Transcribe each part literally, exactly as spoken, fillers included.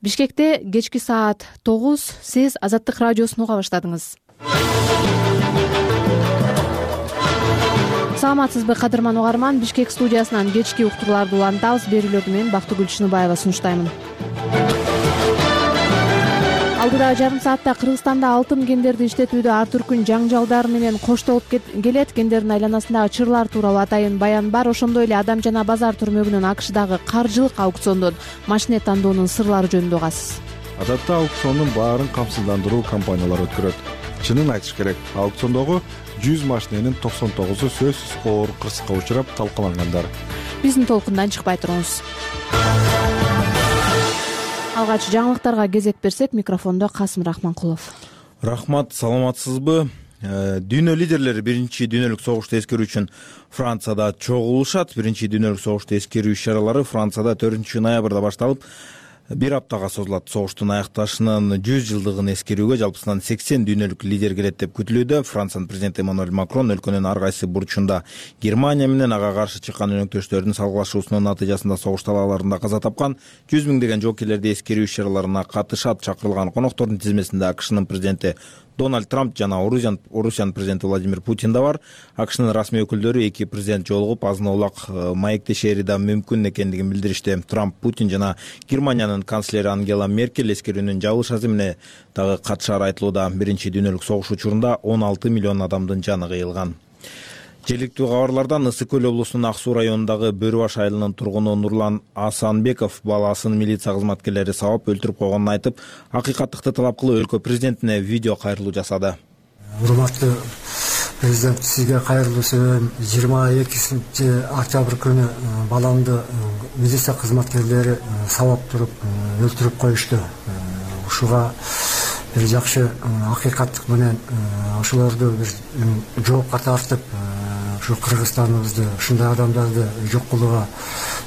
Бишкекте кечки саат тогуз. Сиз Азаттык радиосун уга баштадыңыз. Саламатсызбы кадырман угарман. Бишкек студиясынан кечки уктурларды улантабыз. Берүүлөрдү мен Бактыгүл Чыныбаева сунуштаймын. Алдыдагы жарым саатта Кыргызстанда алтын кендерди иштетүүдө ар түркүн жаңжалдар менен коштолуп келет. Кендердин айланасындагы чырлар тууралуу атайын баян бар. Ошондой эле Адам жана базар түрмөгүнүн АКШдагы каржылык аукциондон машине тандоонун сырлары жөнүндө угасыз. Адатта аукциондун баарын камсыздандыруу компаниялар өткөрөт. Чынын айтыш керек, аукциондогу жүз машиненин токсон тогузу сөзсүз оор кырсыкка учурап талкалангандар. Биздин толкундан чыкпай туруңуз. Алгач жаңылыктарга кезек берсек, микрофондо Касым Рахманкулов. Рахмат, саламатсызбы? Дүйнө лидерлери биринчи дүйнөлүк согушту эскерүү үчүн Францияда чогулушат. Биринчи дүйнөлүк согушту эскерүү иш-чаралары Францияда төртүнчү ноябрда башталып, бир аптага созулат. Согуштун аякташынын жүз жылдыгын эскерүүгө жалпысынан сексен дүйнөлүк лидер келет деп күтүлүүдө. Франциянын президенти Эммануэль Макрон өлкөнүн ар кайсы бурчунда Германия менен ага каршы чыккан өнөктөштөрдүн салгылашуусунун натыйжасында согуш талааларында каза тапкан жүз миңдеген жоокерлерди эскерүү иш-чараларына катышат. Чакырылган коноктордун тизмесинде АКШнын президенти Дональд Трамп жана Орусиянын президенти Владимир Путин да бар. АКШнын расмий өкүлдөрү эки президент жолугуп азын-аулак маектешери да мүмкүн экендигин билдиришти. Трамп, Путин жана Германиянын канцлери Ангела Меркель эскерүүнүн жабылыш азимине дагы катышары айтылууда. Биринчи дүйнөлүк согуш учурунда он алты миллион адамдын жаны кыйылган. Желиктүү кабарлардан Ысык көл облусунун Ак Суу районундагы Бөрү баш айылынын тургуну Нурлан Асанбеков баласын милиция кызматкерлери сабап өлтүрүп койгонун айтып, акыйкаттыкты талап кылып өлкө президентине видео кайрылуу жасады. Урматтуу президент, сизге кайрылуу сөйлөйм. жыйырма экинчи октябрь күнү баламды милиция кызматкерлери сабап туруп өлтүрүп коюшту. Ушуга бир жакшы акыйкаттык менен ошолорду бир жоопко тартып, ушу Кыргызстаныбызды, ушундай адамдарды жок кылууга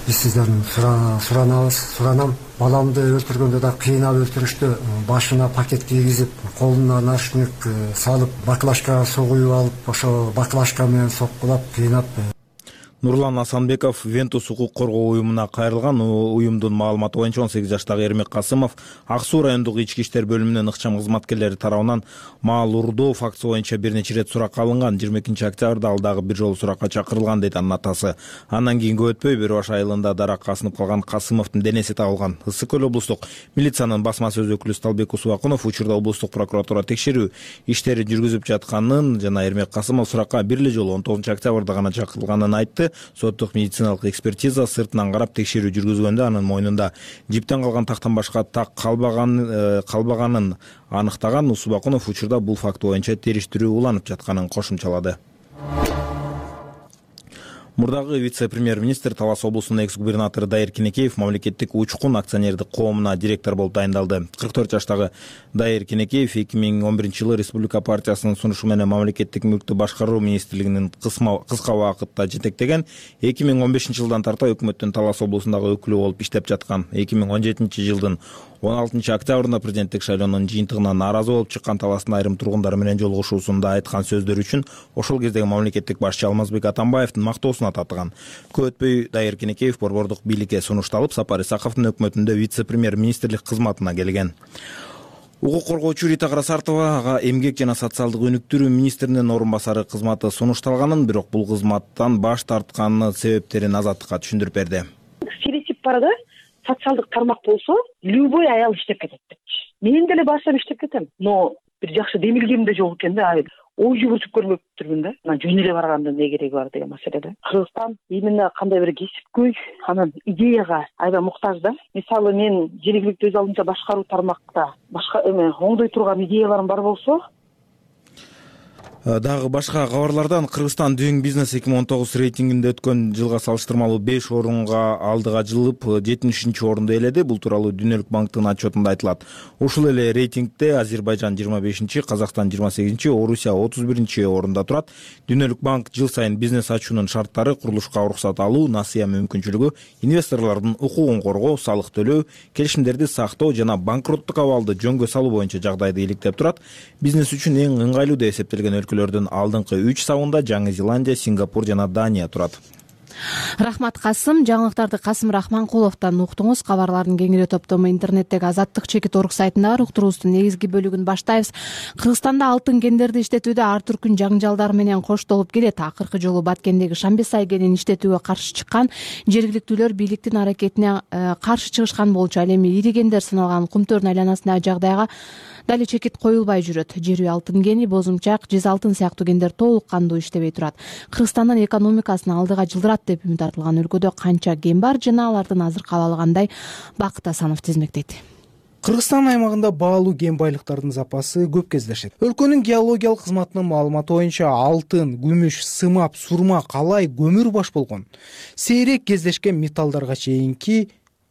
биз сизден суранабыз, суранам. Баламды өлтүргөндө да кыйнап өлтүрүштү. Башына пакет кийгизип, колуна наручник салып, баклажкага суу куюп алып, ошо баклажка менен соккулап, кыйнап. Нурлан Асанбеков Вентус укук коргоо уюмуна кайрылган. Уюмдун маалыматы боюнча он сегиз жаштагы Эрмек Касымов Ак Суу райондук ички иштер бөлүмүнүн ыкчам кызматкерлери тарабынан маал уурдоо фактысы боюнча бир нече ирет суракка алынган. жыйырма экинчи октябрда ал дагы бир жолу суракка чакырылган, дейт анын атасы. Андан кийин көп өтпөй Бөрү баш айылында даракка асынып калган Касымовдун денеси табылган. Ысык көл облустук милициянын басма сөз өкүлү Сталбек Усубакунов учурда облустук прокуратура текшерүү иштери жүргүзүп жатканын жана Эрмек Касымов суракка бир эле жолу он тогузунчу октябрда гана чакырылганын айтты. Соттук медициналык экспертиза сыртынан карап текшерүү жүргүзгөндө анын мойнунда жиптен калган тактан башка так калбаган калбаганын аныктаган. Усубакунов учурда бул факт боюнча териштирүү уланып жатканын кошумчалады. Мурдагы вице-премьер-министр Талас облусунун экс-губернатору Дайыр Кенекеев мамлекеттик учкун акционердик коомуна директор болуп дайындалды. кырк төрт жаштагы Дайыр Кенекеев эки миң он биринчи жылы Республика партиясынын сунушу менен мамлекеттик мүлктү башкаруу министрлигинин кыска убакытта жетектеген. эки миң он бешинчи жылдан тарта өкмөттүн Талас облусундагы өкүлү болуп иштеп жаткан. эки миң он жетинчи жылдын он алтынчы октябрында президенттик шайлоонун жыйынтыгына нааразы болуп чыккан Таластын айрым тургундары менен жолугушуусунда айткан сөздөрү үчүн ошол кездеги мамлекеттик башчы Алмазбек Атамбаевдин мактоосуна татыган. Көп өтпөй Дайыр Кенекеев борбордук бийликке сунушталып, Сапар Исаковдун өкмөтүндө вице-премьер-министрлик кызматына келген. Укук коргоочу Рита Карасартова ага эмгек жана социалдык өнүктүрүү министринин орун басары кызматы сунушталганын, бирок бул кызматтан баш тартканын себептерин Азаттыкка түшүндүрүп берди. Стереотип бар да, социалдык тармак болсо, любой аял иштеп кетет деп. Мен деле баштап иштеп кетем, но бир жакшы демилгем да жок экен да. Ой жүгүртүп көрмөптүрмүн да. Мына жөн эле барганда эмне кереги бар деген маселеде. Кыргызстан именно кандай бир кесипкөй, анан идеяга аябай муктаж да. Мисалы мен жергиликтүү өз алдынча башкаруу тармакта башка эме оңдой турган идеяларым бар болсо, Дагы башка кабарлардан Кыргызстан Doing Business эки миң он тогуз рейтингинде өткөн жылга салыштырмалуу беш орунга алдыга жылып жетимиш үчүнчү орунду ээледи. Бул тууралуу Дүнөлүк банктын отчетунда айтылат. Ушул эле рейтингде Азербайжан жыйырма бешинчи, Казакстан жыйырма сегизинчи, Орусия отуз биринчи орунда турат. Дүнөлүк банк жыл сайын бизнес ачуунун шарттары, курулушка уруксат алуу, насыя мүмкүнчүлүгү, инвесторлордун укугун коргоо, салык төлөө, келишимдерди сактоо жана банкроттук абалды жөнгө салуу боюнча жагдайды иликтеп турат. Бизнес үчүн эң ыңгайлуу деп эсептелген өлкөлөрдүн алдыңкы үч сабында Жаңы Зеландия, Сингапур жана Дания турат. Рахмат Касым. Жаңылыктарды Касым Рахманкуловдон уктуңуз. Кабарлардын кеңири топтому интернеттеги Азаттык чекит орг сайтында бар. Уктуруубуздун негизги бөлүгүн баштайбыз. Кыргызстанда алтын кендерди иштетүүдө ар түркүн жаңжалдар менен коштолуп келет. Акыркы жолу Баткендеги Шамбесай кенин иштетүүгө каршы чыккан жергиликтүүлөр бийликтин аракетине каршы чыгышкан болчу. Ал эми ири кендер саналган Кумтөрдүн айланасындагы жагдайга дали чекит коюлбай жүрөт. Жер үй алтын кени, бозумчак, жез алтын сыяктуу кендер толук кандуу иштебей турат. Кыргызстандын экономикасын алдыга жылдырат деп үмүт артылган өлкөдө канча кен бар жана алардын азыркы абалы кандай? Бакыт Асанов тизмектейт. Кыргызстан аймагында баалуу кен байлыктардын запасы көп кездешет. Өлкөнүн геологиялык кызматынын маалыматы боюнча алтын, күмүш, сымап, сурма, калай, көмүр баш болгон сейрек кездешкен металлдарга чейинки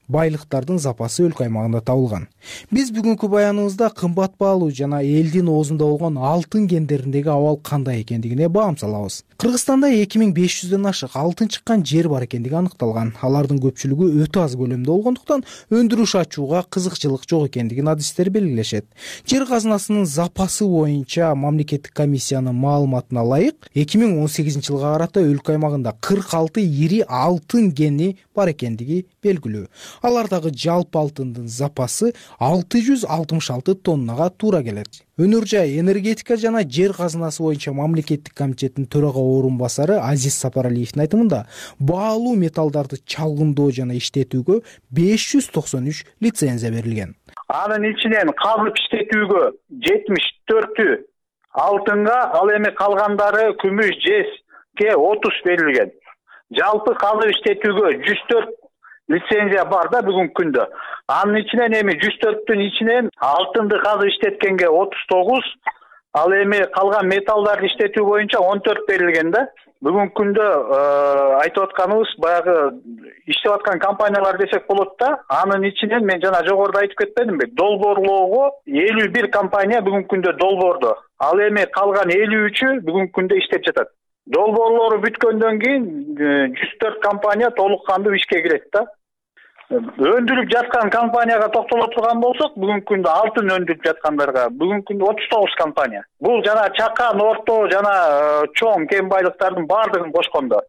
байлыктардын запасы өлкө аймагында табылган. Биз бүгүнкү баяныбызда кымбат баалуу жана элдин оозунда болгон алтын кендериндеги абал кандай экендигине баам салабыз. Кыргызстанда эки миң беш жүздөн ашык алтын чыккан жер бар экендиги аныкталган. Алардын көпчүлүгү өтө аз көлөмдө болгондуктан өндүрүш ачууга кызыкчылык жок экендигин адистер белгилешет. Жер казынасынын запасы боюнча мамлекеттик комиссиянын маалыматына ылайык эки миң он сегизинчи жылга карата өлкө аймагында кырк алты ири алтын кени бар экендиги белгилүү. Алардагы жалпы алтындын запасы алты жүз алтымыш алты тоннага туура келет. Өнөр жай энергетика жана жер казынасы боюнча мамлекеттик комитеттин төрага орун басары Азиз Сапаралиевдин айтымында баалуу металлдарды чалгындоо жана иштетүүгө беш жүз токсон үч лицензия берилген. Анын ичинен казып иштетүүгө жетимиш төртү алтынга, ал эми калгандары күмүш, жезге отуз берилген. Жалпы казып иштетүүгө жүз төрт лицензия бар да бүгүнкү күндө. Анын ичинен эми жүз төрттүн ичинен алтынды казып иштеткенге отуз тогуз, ал эми калган металлдарды иштетүү боюнча он төрт берилген да. Бүгүнкү күндө айтып атканыбыз баягы иштеп аткан компаниялар десек болот да. Анын ичинен мен жана жогоруда айтып кетпедимби? Долбоорлоого элүү бир компания бүгүнкү күндө долбоордо. Ал эми калган элүү үчү бүгүнкү күндө иштеп жатат. Долбоорлору бүткөндөн кийин жүз төрт компания толук кандуу ишке кирет да. Өндүрүп жаткан компанияга токтоло турган болсок, бүгүнкү күндө алтын өндүрүп жаткандарга бүгүнкү күндө отуз тогуз компания. Бул жана чакан, орто жана чоң кен байлыктардын баардыгын кошкондо.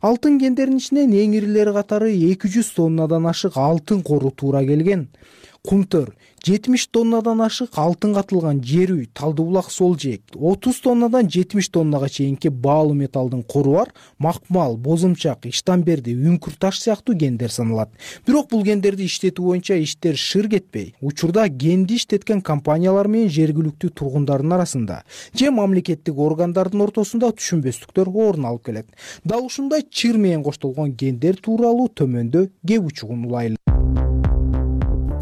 Алтын кендеринин ичинен эң ирилери катары эки жүз тоннадан ашык алтын кору туура келген. Кумтөр жетимиш тоннадан ашык алтын катылган жер үй, Талдыбулак сол жээк, отуз тоннадан жетимиш тоннага чейинки баалуу металлдын кору бар Макмал, Бозумчак, Иштанберди, Үңкүр таш сыяктуу кендер саналат. Бирок бул кендерди иштетүү боюнча иштер шыр кетпей, учурда кенди иштеткен компаниялар менен жергиликтүү тургундардын арасында же мамлекеттик органдардын ортосунда түшүнбөстүктөр орун алып келет. Дал ушундай чыр менен коштолгон кендер тууралуу төмөндө кеп учугун улайлы.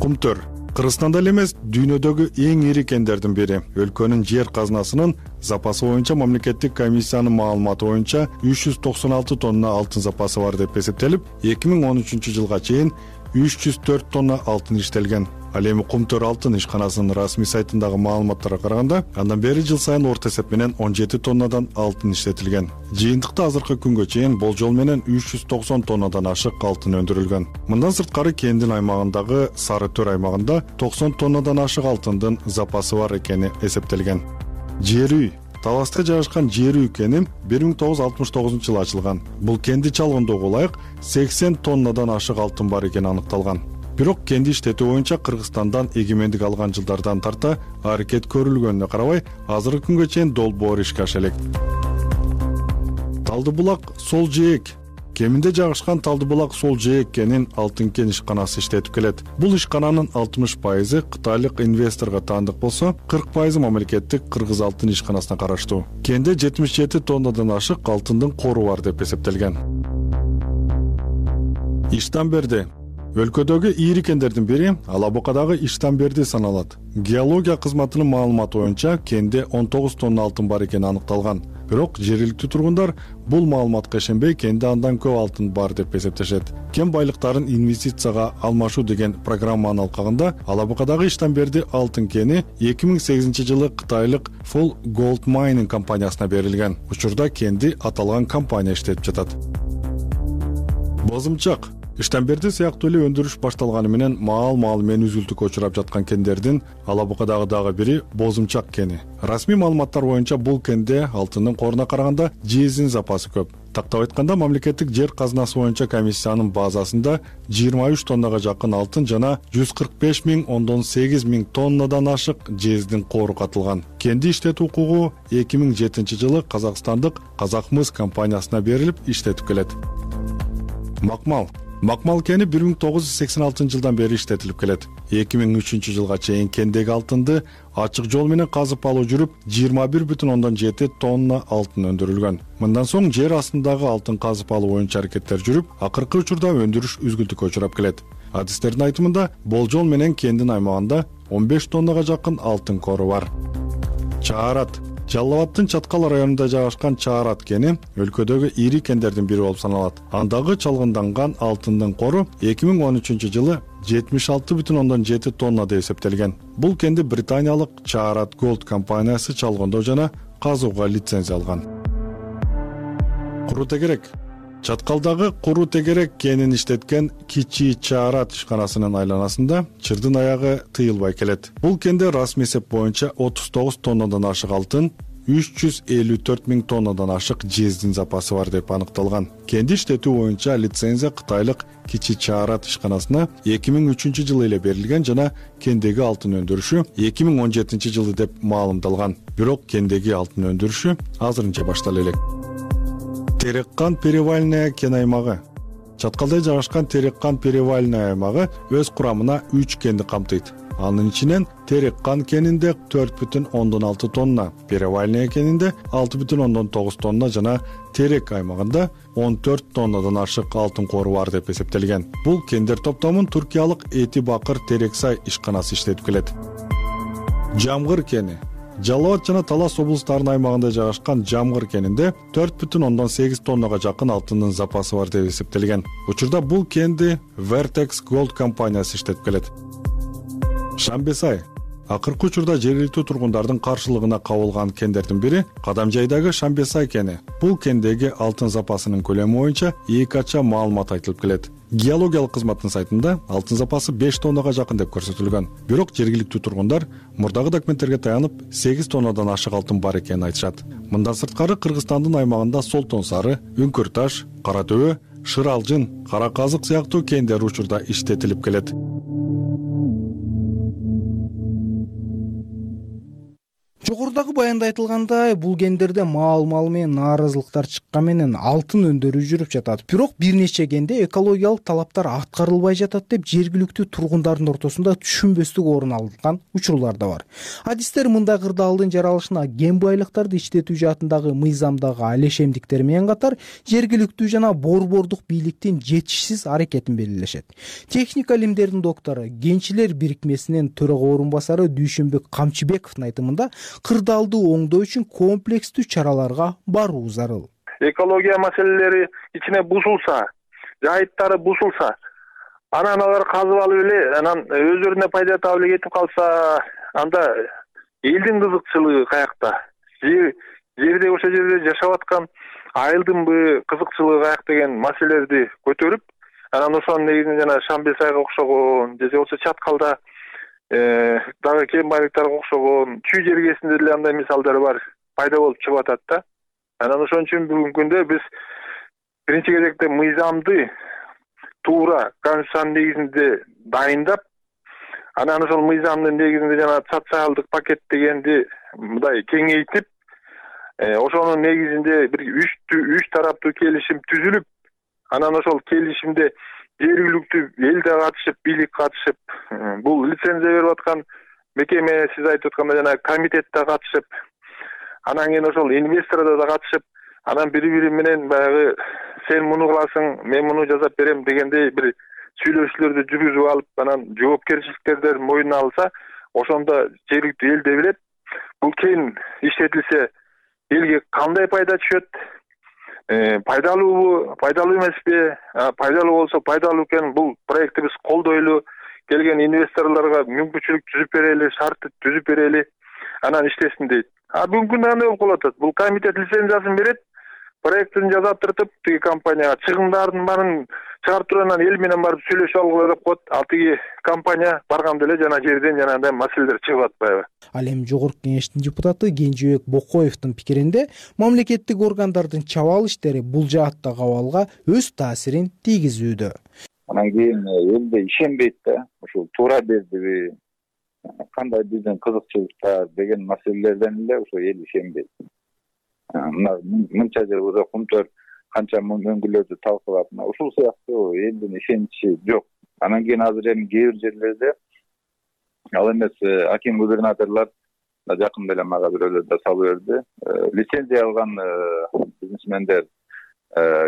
Кумтөр Кыргызстанда эле эмес, дүйнөдөгү эң ири кендердин бири. Өлкөнүн жер казынасынын запасы боюнча мамлекеттик комиссиянын маалыматы боюнча үч жүз токсон алты тонна алтын запасы бар деп эсептелип, эки миң он үчүнчү жылга чейин үч жүз төрт тонна алтын иштелген. Ал эми Кумтөр алтын ишканасынын расмий сайтындагы маалыматтарга караганда, андан бери жыл сайын орто эсеп менен он жети тоннадан алтын иштетилген. Жыйынтыкта азыркы күнгө чейин болжол менен үч жүз токсон тоннадан ашык алтын өндүрүлгөн. Мындан сырткары кендин аймагындагы Сары Төр аймагында токсон тоннадан ашык алтындын запасы бар экени эсептелген. Жер үй Таласта жайгашкан жер үй кени бир миң тогуз жүз алтымыш тогузунчу жылы ачылган. Бул кенди чалгындоого ылайык сексен тоннадан ашык алтын бар экени аныкталган. Бирок кенди иштетүү боюнча Кыргызстандан эгемендик алган жылдардан тарта аракет көрүлгөнүнө карабай, азыркы күнгө чейин долбоор ишке аша элек. Талдыбулак сол жээк Кеминде жайгашкан Талдыбулак сол жээк кенин алтын кен ишканасы иштетип келет. Бул ишкананын алтымыш пайызы кытайлык инвесторго таандык болсо, кырк пайызы мамлекеттик Кыргыз алтын ишканасына караштуу. Кенде жетимиш жети тоннадан ашык алтындын кору бар деп эсептелген. Иштанберди өлкөдөгү ири кендердин бири Алабукадагы Иштанберди саналат. Геология кызматынын маалыматы боюнча кенде он тогуз тонна алтын бар экени аныкталган. Бирок жергиликтүү тургундар бул маалыматка ишенбей, кенде андан көп алтын бар деп эсептешет. Кен байлыктарын инвестицияга алмашуу деген программанын алкагында Алабукадагы Иштанберди алтын кени эки миң сегизинчи жылы кытайлык Full Gold Mining компаниясына берилген. Учурда кенди аталган компания иштетип жатат. Бозумчак Иштанберди сыяктуу эле өндүрүш башталганы менен маал-маал менен үзүлтүүгө учурап жаткан кендердин Алабукадагы дагы бири Бозумчак кени. Расмий маалыматтар боюнча бул кенде алтындын коруна караганда жездин запасы көп. Тактап айтканда, мамлекеттик жер казынасы боюнча комиссиянын базасында жыйырма үч тоннага жакын алтын жана жүз кырк беш миң ондон сегиз миң тоннадан ашык жездин кору катылган. Кенди иштетүү укугу эки миң жетинчи жылы казакстандык Казакмыс компаниясына берилип иштетип келет. Макмал Макмал кени бир миң тогуз жүз сексен алтынчы жылдан бери иштетилип келет. эки миң үчүнчү жылга чейин кендеги алтынды ачык жол менен казып алуу жүрүп, жыйырма бир бүтүн ондон жети тонна алтын өндүрүлгөн. Мындан соң жер астындагы алтын казып алуу боюнча аракеттер жүрүп, акыркы учурда өндүрүш үзгүлтүккө учурап келет. Адистердин айтымында, болжол менен кендин аймагында он беш тоннага жакын алтын кору бар. Чаарат Жалал Абадтын Чаткал районунда жайгашкан Чаарат кени өлкөдөгү ири кендердин бири болуп саналат. Андагы чалгынданган алтындын кору эки миң он үчүнчү жылы жетимиш алты бүтүн ондон жети тонна деп эсептелген. Бул кенди британиялык Чаарат Gold компаниясы чалгындоо жана казууга лицензия алган. Куру тегерек Чаткалдагы Куру тегерек кенин иштеткен Кичи Чаарат ишканасынын айланасында чырдын аягы тыйылбай келет. Бул кенде расмий эсеп боюнча отуз тогуз тоннадан ашык алтын, үч жүз элүү төрт миң тоннадан ашык жездин запасы бар деп аныкталган. Кенди иштетүү боюнча лицензия кытайлык Кичи Чаарат ишканасына эки миң үчүнчү жылы эле берилген жана кендеги алтын өндүрүшү эки миң он жетинчи жылы деп маалымдалган. Бирок кендеги алтын өндүрүшү азырынча баштала элек. Тереккан перевальная кен аймагы Чаткалда жайгашкан Тереккан перевальная аймагы өз курамына үч кенди камтыйт. Анын ичинен Тереккан кенинде төрт бүтүн ондон алты тонна, перевальная кенинде алты бүтүн ондон тогуз тонна жана Терек аймагында он төрт тоннадан ашык алтын кору бар деп эсептелген. Бул кендер топтомун туркиялык Эти Бакыр Терексай ишканасы иштетип келет. Жамгыр кени Жалал Абад жана Талас облустарынын аймагында жайгашкан Жамгыр кенинде төрт бүтүн ондон сегиз тоннага жакын алтындын запасы бар деп эсептелген. Учурда бул кенди Vertex Gold компаниясы иштетип келет. Шамбесай Акыркы учурда жергиликтүү тургундардын каршылыгына кабылган кендердин бири Кадамжайдагы Шамбесай кени. Бул кендеги алтын запасынын көлөмү боюнча эки ача маалымат айтылып келет. Геологиялык кызматтын сайтында алтын запасы беш тоннага жакын деп көрсөтүлгөн. Бирок жергиликтүү тургундар мурдагы документтерге таянып сегиз тоннадан ашык алтын бар экенин айтышат. Мындан сырткары Кыргызстандын аймагында Солтон Сары, Үңкүр таш, Кара Төбө, Шыралжын, Кара Казык сыяктуу кендер учурда иштетилип келет. Жогорудагы баянда айтылгандай, бул кендерде маал-мал менен нааразылыктар чыккан менен алтын өндүрүү жүрүп жатат. Бирок бир нече кенде экологиялык талаптар аткарылбай жатат деп жергиликтүү тургундардын ортосунда түшүнбөстүк орун алган учурлар да бар. Адистер мындай кырдаалдын жаралышына кен байлыктарды иштетүү жаатындагы мыйзамдагы алешемдиктер менен катар жергиликтүү жана борбордук бийликтин жетишсиз аракетин белгилешет. Техника илимдеринин доктору, Кенчилер бирикмесинин төрага орун басары Дүйшөнбек Камчыбековдун айтымында кырдаалды оңдоо үчүн комплекстүү чараларга баруу зарыл. Экология маселелери ичине бузулса, жайыттары бузулса, анан алар казып алып эле, анан өздөрүнө пайда таап эле кетип калса, анда элдин кызыкчылыгы каякта? Жерде ошол жерде жашап аткан айылдынбы кызыкчылыгы каяк деген маселелерди көтөрүп, анан ошонун негизинде жана Шамбесайга окшогон, же болбосо Чаткалда дагы кен байлыктарга окшогон чүй жергесинде деле андай мисалдар бар, пайда болуп чыгып атат да. Анан ошон үчүн бүгүнкү күндө биз биринчи кезекте мыйзамды туура конституциянын негизинде дайындап, анан ошол мыйзамдын негизинде жана социалдык пакет дегенди мындай кеңейтип, ошонун негизинде бир үч үч тараптуу келишим түзүлүп, анан ошол келишимде жергиликтүү эл да катышып, бийлик катышып, бул лицензия берип аткан мекеме, сиз айтып аткандай жана комитет да катышып, анан кийин ошол инвестордор да катышып, анан бири-бири менен баягы сен муну кыласың, мен муну жасап берем дегендей бир сүйлөшүүлөрдү жүргүзүп алып, анан жоопкерчиликтерди мойнуна алса, ошондо жергиликтүү эл да билет, бул кен иштетилсе элге кандай пайда түшөт, пайдалуубу, пайдалуу эмеспи, пайдалуу болсо пайдалуу экен, бул проектти биз колдойлу, келген инвесторлорго мүмкүнчүлүк түзүп берели, шарт түзүп берели, анан иштесин дейт. А бүгүнкү күндө кандай болуп калып атат? Бул комитет лицензиясын берет, проектин жасатыртып тиги компанияга чыгымдардын баарын чыгарып туруп анан эл менен барып сүйлөшүп алгыла деп коет. Ал тиги компания барганда эле жана жерден жанагындай маселелер чыгып атпайбы? Ал эми жогорку кеңештин депутаты Кенжебек Бокоевдин пикиринде мамлекеттик органдардын чабаал иштери бул жааттагы абалга өз таасирин тийгизүүдө. Анан кийин элде ишенбейт да, ушул туура бердиби, кандай биздин кызыкчылыктар деген маселелерден эле ошо эл ишенбейт. Мына мынча жыл уже Кумтөр канча мөңгүлөрдү талкуулап, ушул сыяктуу элдин ишеничи жок. Анан кийин азыр эми кээ бир жерлерде ал эмес аким губернаторлор жакында эле мага бирөөлөр да салып берди. Лицензия алган бизнесмендер,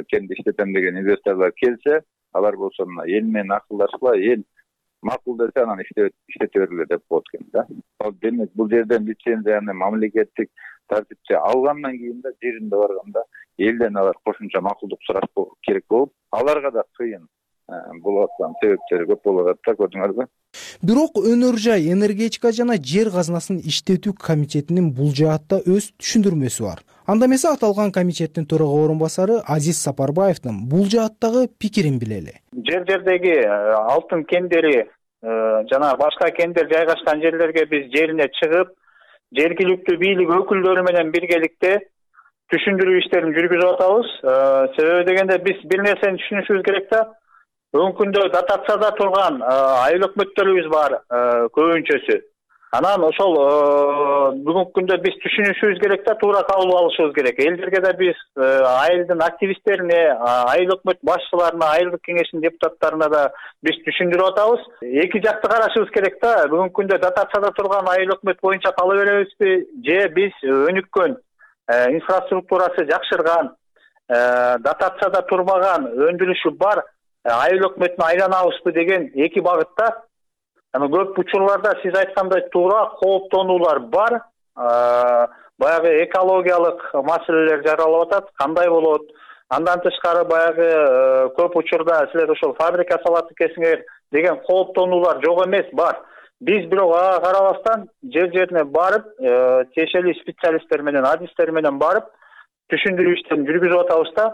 кенди иштетем деген инвесторлор келсе, алар болсо мына эл менен акылдашкыла, эл макул десе анан иштете бергиле деп коет экен да. Ал демек бул жерден лицензияны мамлекеттик тартипче алгандан кийин да жеринде барганда элден алар кошумча макулдук сураш керек болуп, аларга да кыйын болуп аткан себептери көп болуп атат да, көрдүңөрбү? Бирок Өнөр жай энергетика жана жер казынасын иштетүү комитетинин бул жаатта өз түшүндүрмөсү бар. Анда эмесе аталган комитеттин төрага орун басары Азиз Сапарбаевдин бул жааттагы пикирин билели. Жер жердеги алтын кендери жана башка кендер жайгашкан жерлерге биз жерине чыгып, жергиликтүү бийлик өкүлдөрү менен биргеликте түшүндүрүү иштерин жүргүзүп атабыз. Себеби дегенде биз бир нерсени түшүнүшүбүз керек да. Бүгүнкү күндө дотацияда турган айыл өкмөттөрүбүз бар көбүнчөсү. Анан ошол бүгүнкү күндө биз түшүнүшүбүз керек да, туура кабыл алышыбыз керек. Элдерге да биз айылдын активисттерине, айыл өкмөт башчыларына, айылдык кеңештин депутаттарына да биз түшүндүрүп атабыз. Эки жакты карашыбыз керек да. Бүгүнкү күндө дотацияда турган айыл өкмөт боюнча кала беребизби, же биз өнүккөн, инфраструктурасы жакшырган, дотацияда турбаган, өндүрүшү бар айыл өкмөтүнө айланабызбы деген эки багытта. Эми көп учурларда сиз айткандай туура кооптонуулар бар. Баягы экологиялык маселелер жаралып атат. Кандай болот? Андан тышкары баягы көп учурда силер ошол фабрика салат экенсиңер деген кооптонуулар жок эмес, бар. Биз бирок ага карабастан жер жерине барып, тиешелүү специалисттер менен, адистер менен барып түшүндүрүү иштерин жүргүзүп атабыз да.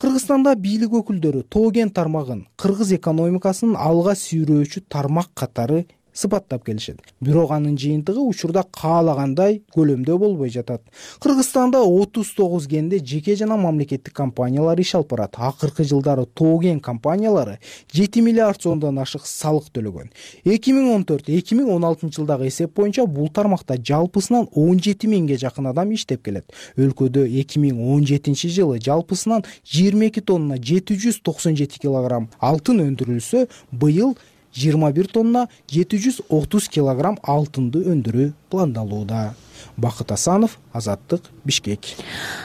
Кыргызстанда бийлик өкүлдөрү тоо кен тармагын кыргыз экономикасынын алга сүйрөөчү тармак катары сыпаттап келишет. Бирок анын жыйынтыгы учурда каалагандай көлөмдө болбой жатат. Кыргызстанда отуз тогуз кенде жеке жана мамлекеттик компаниялар иш алып барат. Акыркы жылдары тоо кен компаниялары жети миллиард сомдон ашык салык төлөгөн. эки миң он төрт эки миң он алтынчы жылдагы эсеп боюнча бул тармакта жалпысынан он жети миңге жакын адам иштеп келет. Өлкөдө эки миң он жетинчи жылы жалпысынан жыйырма эки тонна жети жүз токсон жети килограмм алтын өндүрүлсө, быйыл жыйырма бир тонна жети жүз отуз килограмм алтынды өндүрүү пландалууда. Бакыт Асанов, Азаттык, Бишкек.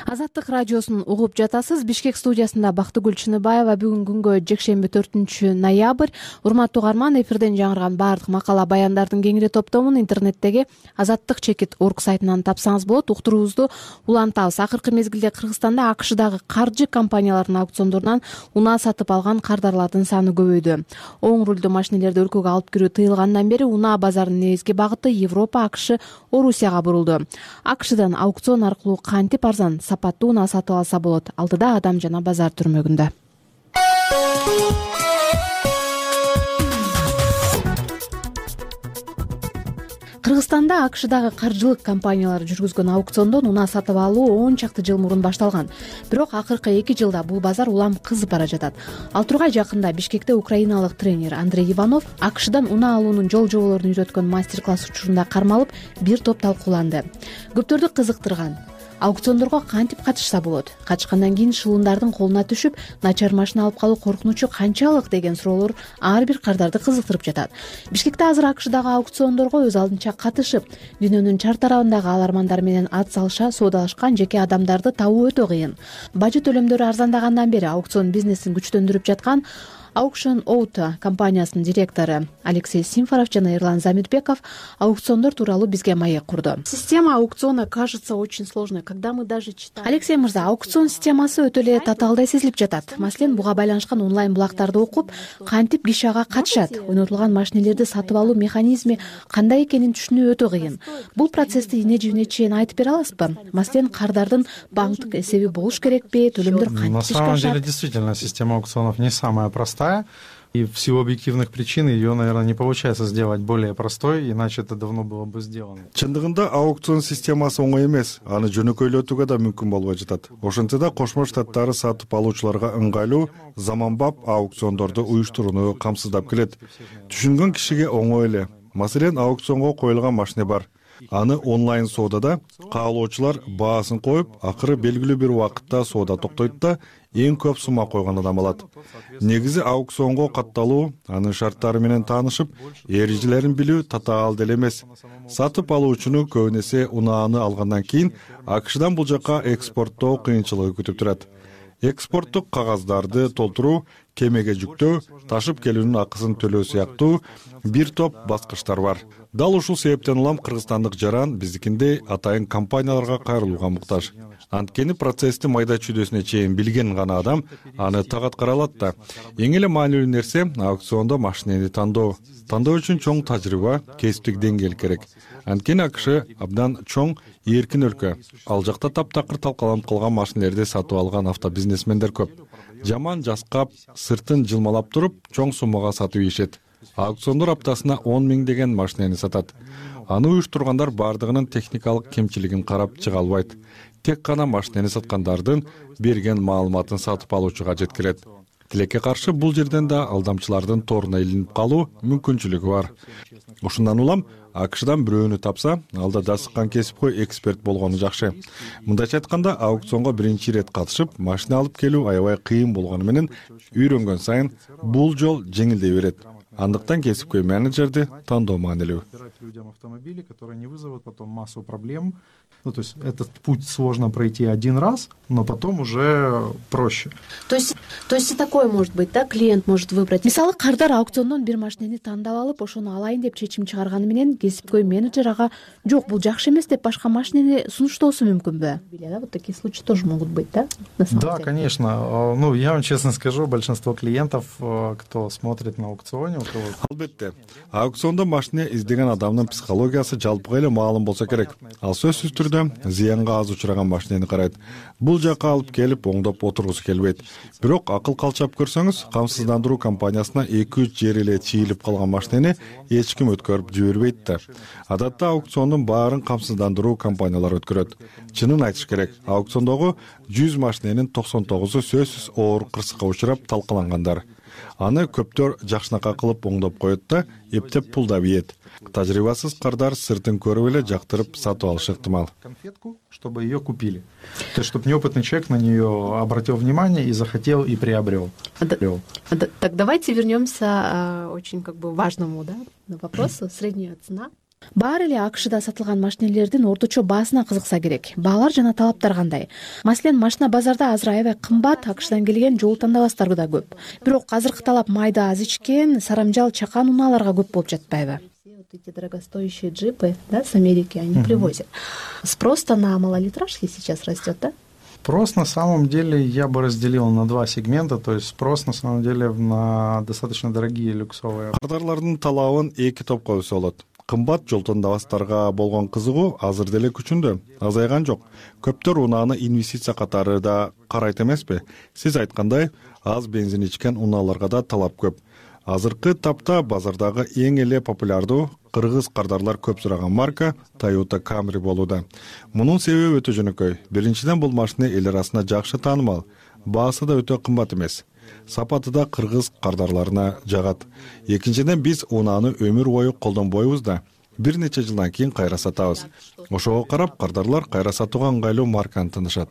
Азаттык радиосун угуп жатасыз. Бишкек студиясында Бактыгүл Чыныбаева. Бүгүнкү күнгө жекшемби төртүнчү ноябрь. Урматтуу угарман, эфирден жаңырган баардык макала баяндардын кеңири топтомун интернеттеги азаттык чекит орг сайтынан тапсаңыз болот. Уктуруубузду улантабыз. Акыркы мезгилде Кыргызстанда АКШдагы каржы компанияларынын аукциондорунан унаа сатып алган кардарлардын саны көбөйдү. Оң рулдуу машинелерди өлкөгө алып кирүү тыйылгандан бери унаа базарынын негизги багыты Европа, АКШ, Орусияга бурулду. АКШдан аукцион аркылуу кантип арзан, сапаттуу унаа сатып алса болот? Алдыда Адам жана базар түрмөгүндө. Кыргызстанда АКШдагы каржылык компаниялар жүргүзгөн аукциондон унаа сатып алуу он чакты жыл мурун башталган. Бирок акыркы эки жылда бул базар улам кызып бара жатат. Ал тургай жакында Бишкекте украиналык тренер Андрей Иванов АКШдан унаа алуунун жол жоболорун үйрөткөн мастер-класс учурунда кармалып, бир топ талкууланды. Көптөрдү кызыктырган аукциондорго кантип катышса болот, качкандан кийин шылундардын колуна түшүп, начар машина алып калуу коркунучу канчалык деген суроолор ар бир кардарды кызыктырып жатат. Бишкекте азыр АКШдагы аукциондорго өз алдынча катышып, дүйнөнүн чар тарабындагы алармандар менен ат салыша соодалашкан жеке адамдарды табуу өтө кыйын. Бажы төлөмдөрү арзандагандан бери аукцион бизнесин күчтөндүрүп жаткан Auction Auto компаниясынын директору Алексей Симфоров жана Эрлан Замирбеков аукциондор тууралуу бизге маек курду. Система аукциона кажется очень сложной, когда мы даже читаем. Алексей мырза, аукцион системасы өтө эле татаалдай сезилип жатат. Маселен, буга байланышкан онлайн булактарды окуп, кантип киши ага катышат, ойнотулган машинелерди сатып алуу механизми кандай экенин түшүнүү өтө кыйын. Бул процессти ине жибине чейин айтып бере аласызбы? Маселен, кардардын банктык эсеби болуш керекпи, төлөмдөр кантип ишке ашат? На самом деле, действительно, система аукционов не самая простая. И в силу объективных причин ее, наверное, не получается сделать более простой, иначе это давно было бы сделано. Чындыгында аукцион системасы оңой эмес, аны жөнөкөйлөтүүгө да мүмкүн болбой жатат. Ошентсе да Кошмо Штаттары сатып алуучуларга ыңгайлуу, заманбап аукциондорду уюштурууну камсыздап келет. Түшүнгөн кишиге оңой эле. Маселен, аукционго коюлган машина бар. Аны онлайн соодада каалоочулар баасын коюп, акыры белгилүү бир убакытта соода токтойт да, эң көп сумма койгон адам алат. Негизи аукционго катталуу, анын шарттары менен таанышып, эрежелерин билүү татаал деле эмес. Сатып алуучуну көбүн эсе унааны алгандан кийин АКШдан бул жака экспорттоо кыйынчылыгы күтүп турат. Экспорттук кагаздарды толтуруу, кемеге жүктөө, ташып келүүнүн акысын төлөө сыяктуу бир топ баскычтар бар. Дал ушул себептен улам кыргызстандык жаран биздикиндей атайын компанияларга кайрылууга муктаж. Анткени процессти майда чүйдөсүнө чейин билген гана адам аны так аткара алат да. Эң эле маанилүү нерсе аукциондо машинени тандоо. Тандоо үчүн чоң тажрыйба, кесиптик деңгээл керек. Анткени АКШ абдан чоң, эркин өлкө. Ал жакта таптакыр талкаланып калган машинелерди сатып алган автобизнесмендер көп. Жаман жаскап, сыртын жылмалап туруп, чоң суммага сатып ийишет. Аукциондор аптасына он миң деген машинени сатат. Аны уюштургандар бардыгынын техникалык кемчилигин карап чыга албайт. Тек гана машинени саткандардын берген маалыматын сатып алуучуга жеткирет. Тилекке каршы бул жерден да алдамчылардын торуна илинип калуу мүмкүнчүлүгү бар. Ушундан улам АКШдан бирөөнү тапса, алда дасыккан кесипкөй эксперт болгону жакшы. Мындайча айтканда, аукционго биринчи ирет катышып, машина алып келүү аябай кыйын болгону менен үйрөнгөн сайын бул жол жеңилдей берет. Андыктан кесипкөй менеджерди тандоо маанилүү. Людям автомобили, которые не вызовут потом массу проблем. Ну, то есть этот путь сложно пройти один раз, но потом уже проще. То есть, то есть и такое может быть, да? Клиент может выбрать. Мисалы, кардар аукциондон бир машинени тандап алып, ошону алайын деп чечим чыгарганы менен кесипкөй менеджер ага жок, бул жакшы эмес деп башка машинени сунуштоосу мүмкүнбү? Да, вот такие случаи тоже могут быть, да? Да, конечно. Ну, я вам честно скажу, большинство клиентов, кто смотрит на аукционе, у кого... Албетте, аукциондо машина издеген адамдын психологиясы жалпыга эле маалым болсо керек. Ал сөзсүз түрдө зыянга аз учураган машинени карайт. Бул жака алып келип оңдоп отургусу келбейт. Бирок акыл калчап көрсөңүз, камсыздандыруу компаниясына эки үч жери эле чийилип калган машинени эч ким өткөрүп жибербейт да. Адатта аукциондун баарын камсыздандыруу компаниялары өткөрөт. Чынын айтыш керек, аукциондогу жүз машиненин токсон тогузу сөзсүз оор кырсыкка учурап талкалангандар. Аны көптөр жакшынакай кылып оңдоп коет да, эптеп пулдап ийет. Тажрыйбасыз кардар сыртын көрүп эле жактырып сатып алышы ыктымал. Конфетку, чтобы ее купили. То есть, чтобы неопытный человек на нее обратил внимание и захотел и приобрел. А да, а да, так давайте вернемся а, очень как бы важному, да, вопросу. Средняя цена. Баары эле АКШда сатылган машинелердин орточо баасына кызыкса керек. Баалар жана талаптар кандай? Маселен, машина базарда азыр аябай кымбат, АКШдан келген жол тандабастар да көп. Бирок азыркы талап майда аз ичкен, сарамжал, чакан унааларга көп болуп жатпайбы? Эти дорогостоящие джипы, да, с Америки они uh-huh. привозят. Спрос-то на малолитражки сейчас растет, да? Спрос на самом деле я бы разделил на два сегмента, то есть спрос на самом деле на достаточно дорогие люксовые. Кардарлардын талабын эки топко бөлсө болот. Кымбат жол тандабастарга болгон кызыгуу азыр деле күчүндө, азайган жок. Көптөр унааны инвестиция катары да карайт эмеспи? Сиз айткандай, аз бензин ичкен унааларга да талап көп. Азыркы тапта базардагы эң эле популярдуу кыргыз кардарлар көп сураган марка Toyota Camry болууда. Мунун себеби өтө жөнөкөй. Биринчиден, бул машина эл арасында жакшы таанымал. Баасы да өтө кымбат эмес. Сапаты да кыргыз кардарларына жагат. Экинчиден, биз унааны өмүр бою колдонбойбуз да. Бир нече жылдан кийин кайра сатабыз. Ошого карап, кардарлар кайра сатууга ыңгайлуу марканы тандашат.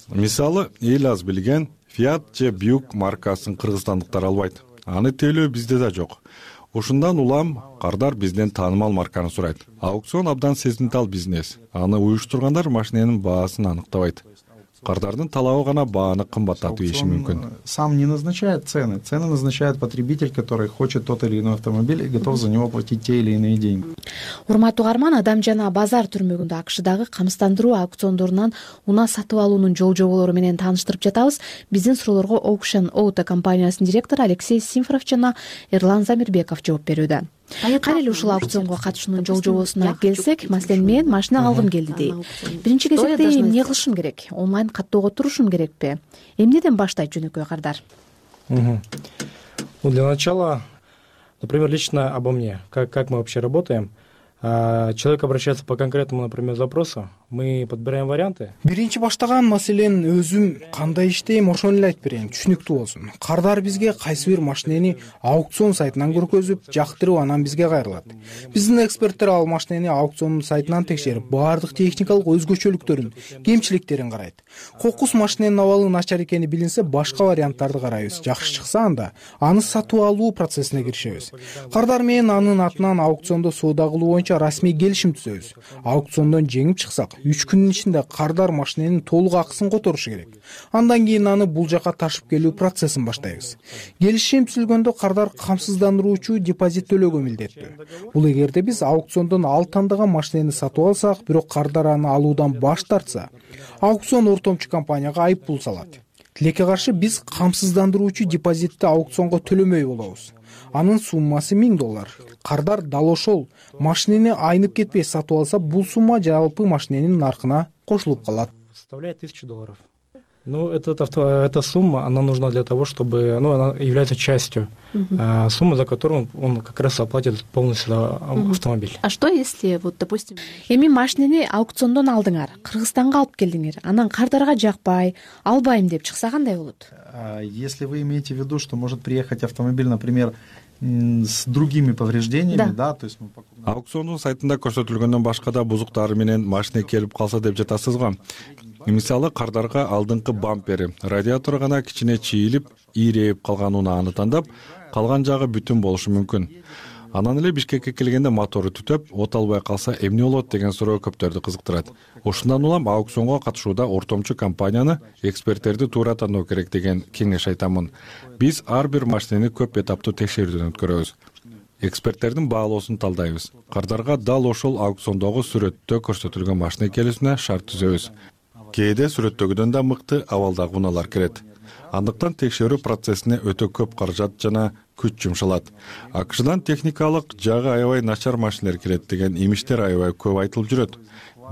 Мисалы, эл аз билген Fiat же Buick маркасын кыргызстандыктар албайт. Аны тейлөө бизде да жок. Ушундан улам кардар бизден таанымал марканы сурайт. Аукцион абдан сезимтал бизнес. Аны уюштургандар машиненин баасын аныктабайт. кардардын талабы гана бааны кымбаттатып ийиши мүмкүн. Сам не назначает цены. Цены назначает потребитель, который хочет тот или иной автомобиль и готов за него платить те или иные деньги. Урматтуу угарман, Адам жана базар түрмөгүндө акшдагы камсыздандыруу аукциондорунан унаа сатып алуунун жол жоболору менен тааныштырып жатабыз. Биздин суроолорго Auction Auto компаниясынын директору Алексей Симфоров жана Эрлан Замирбеков жооп берүүдө. Кайра эле ушул аукционго катышуунун жол жобосуна келсек, маселен мен машина алгым келди дейт. Биринчи кезекте эмне кылышым керек? Онлайн каттоого турушум керекпи? Эмнеден баштайт жөнөкөй кардар? Ну, для начала, например, лично обо мне, как, как мы вообще работаем. Человек обращается по конкретному, например, запросу, мы подбираем варианты. Биринчи баштаган маселен өзүм кандай иштейм, ошону эле айтып берейин, түшүнүктүү болсун. Кардар бизге кайсы бир машинени аукцион сайтынан көргөзүп, жактырып, анан бизге кайрылат. Биздин эксперттер ал машинени аукцион сайтынан текшерип, баардык техникалык өзгөчөлүктөрүн, кемчиликтерин карайт. Кокус машиненин абалы начар экени билинсе, башка варианттарды карайбыз. Жакшы чыкса анда аны сатып алуу процессине киришебиз. Кардар менен анын атынан аукциондо соода кылуу боюнча расмий келишим түзөбүз. Аукциондон жеңип чыксак, үч күндүн ичинде кардар машиненин толук акысын которушу керек. Андан кийин аны бул жака ташып келүү процессин баштайбыз. Келишим түзүлгөндө кардар камсыздандыруучу депозит төлөөгө милдеттүү. Бул эгерде биз аукциондон ал тандаган машинени сатып алсак, бирок кардар аны алуудан баш тартса, аукцион ортомчу компанияга айып пул салат. Тилекке каршы биз камсыздандыруучу депозитти аукционго төлөмөй болобуз. Анын суммасы миң доллар. Кардар дал ошол машинени айнып кетпей сатып алса, бул сумма жалпы машиненин наркына кошулуп калат. Составляет тысячу долларов. Ну, это, это, эта сумма, она нужна для того, чтобы, ну, она является частью uh-huh. а, суммы, за которую он как раз оплатит полностью uh-huh. автомобиль. А что если, вот, допустим, эми машинени аукциондон алдыңар, Кыргызстанга алып келдиңер, анан кардарга жакпай, албайм деп чыкса кандай болот? Если вы имеете в виду, что может приехать автомобиль, например, с другими повреждениями, да, да, то есть мы покупаем. Аукциондун сайтында көрсөтүлгөндөн башка да бузуктары менен машина келип калса деп жатасыз го. Мисалы, кардарга алдыңкы бампери, радиатору гана кичине чийилип, ийрейип калган унааны тандап, калган жагы бүтүн болушу мүмкүн. Анан эле Бишкекке келгенде мотору түтөп, от албай калса эмне болот деген суроо көптөрдү кызыктырат. Ошондон улам аукционго катышууда ортомчу компанияны, эксперттерди туура тандоо керек деген кеңеш айтамын. Биз ар бир машинени көп этаптуу текшерүүдөн өткөрөбүз. Эксперттердин баалоосун талдайбыз. Кардарга дал ошол аукциондогу сүрөттө көрсөтүлгөн машина келүүсүнө шарт түзөбүз. Кээде сүрөттөгүдөн да мыкты абалдагы унаалар кирет. Андыктан текшерүү процессине өтө көп каражат жана күч жумшалат. АКШдан техникалык жагы аябай начар машинелер кирет деген имиштер аябай көп айтылып жүрөт.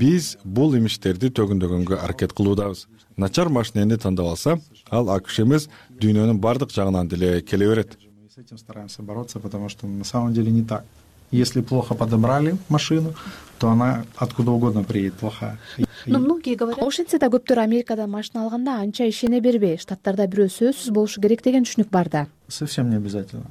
Биз бул имиштерди төгүндөгөнгө аракет кылуудабыз. Начар машинени тандап алса, ал АКШ эмес, дүйнөнүн бардык жагынан деле келе берет. Мы с этим стараемся бороться, потому что на самом деле не так. Если плохо подобрали машину, то она откуда угодно приедет плохая. Ну, многие говорят, ошентсе да көптөр Америкада машина алганда анча ишене бербей, штаттарда бирөө сөзсүз болушу керек деген түшүнүк бар да. Совсем не обязательно.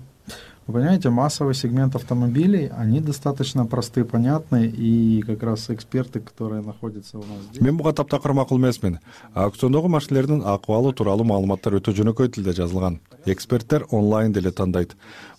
Вы понимаете, массовый сегмент автомобилей, они достаточно простые, понятные, и как раз эксперты, которые находятся у нас здесь. Мен буга таптакыр макул эмесмин. Аукциондогу машинелердин акыбалы тууралуу маалыматтар өтө жөнөкөй тилде жазылган. Эксперттер онлайн деле тандайт.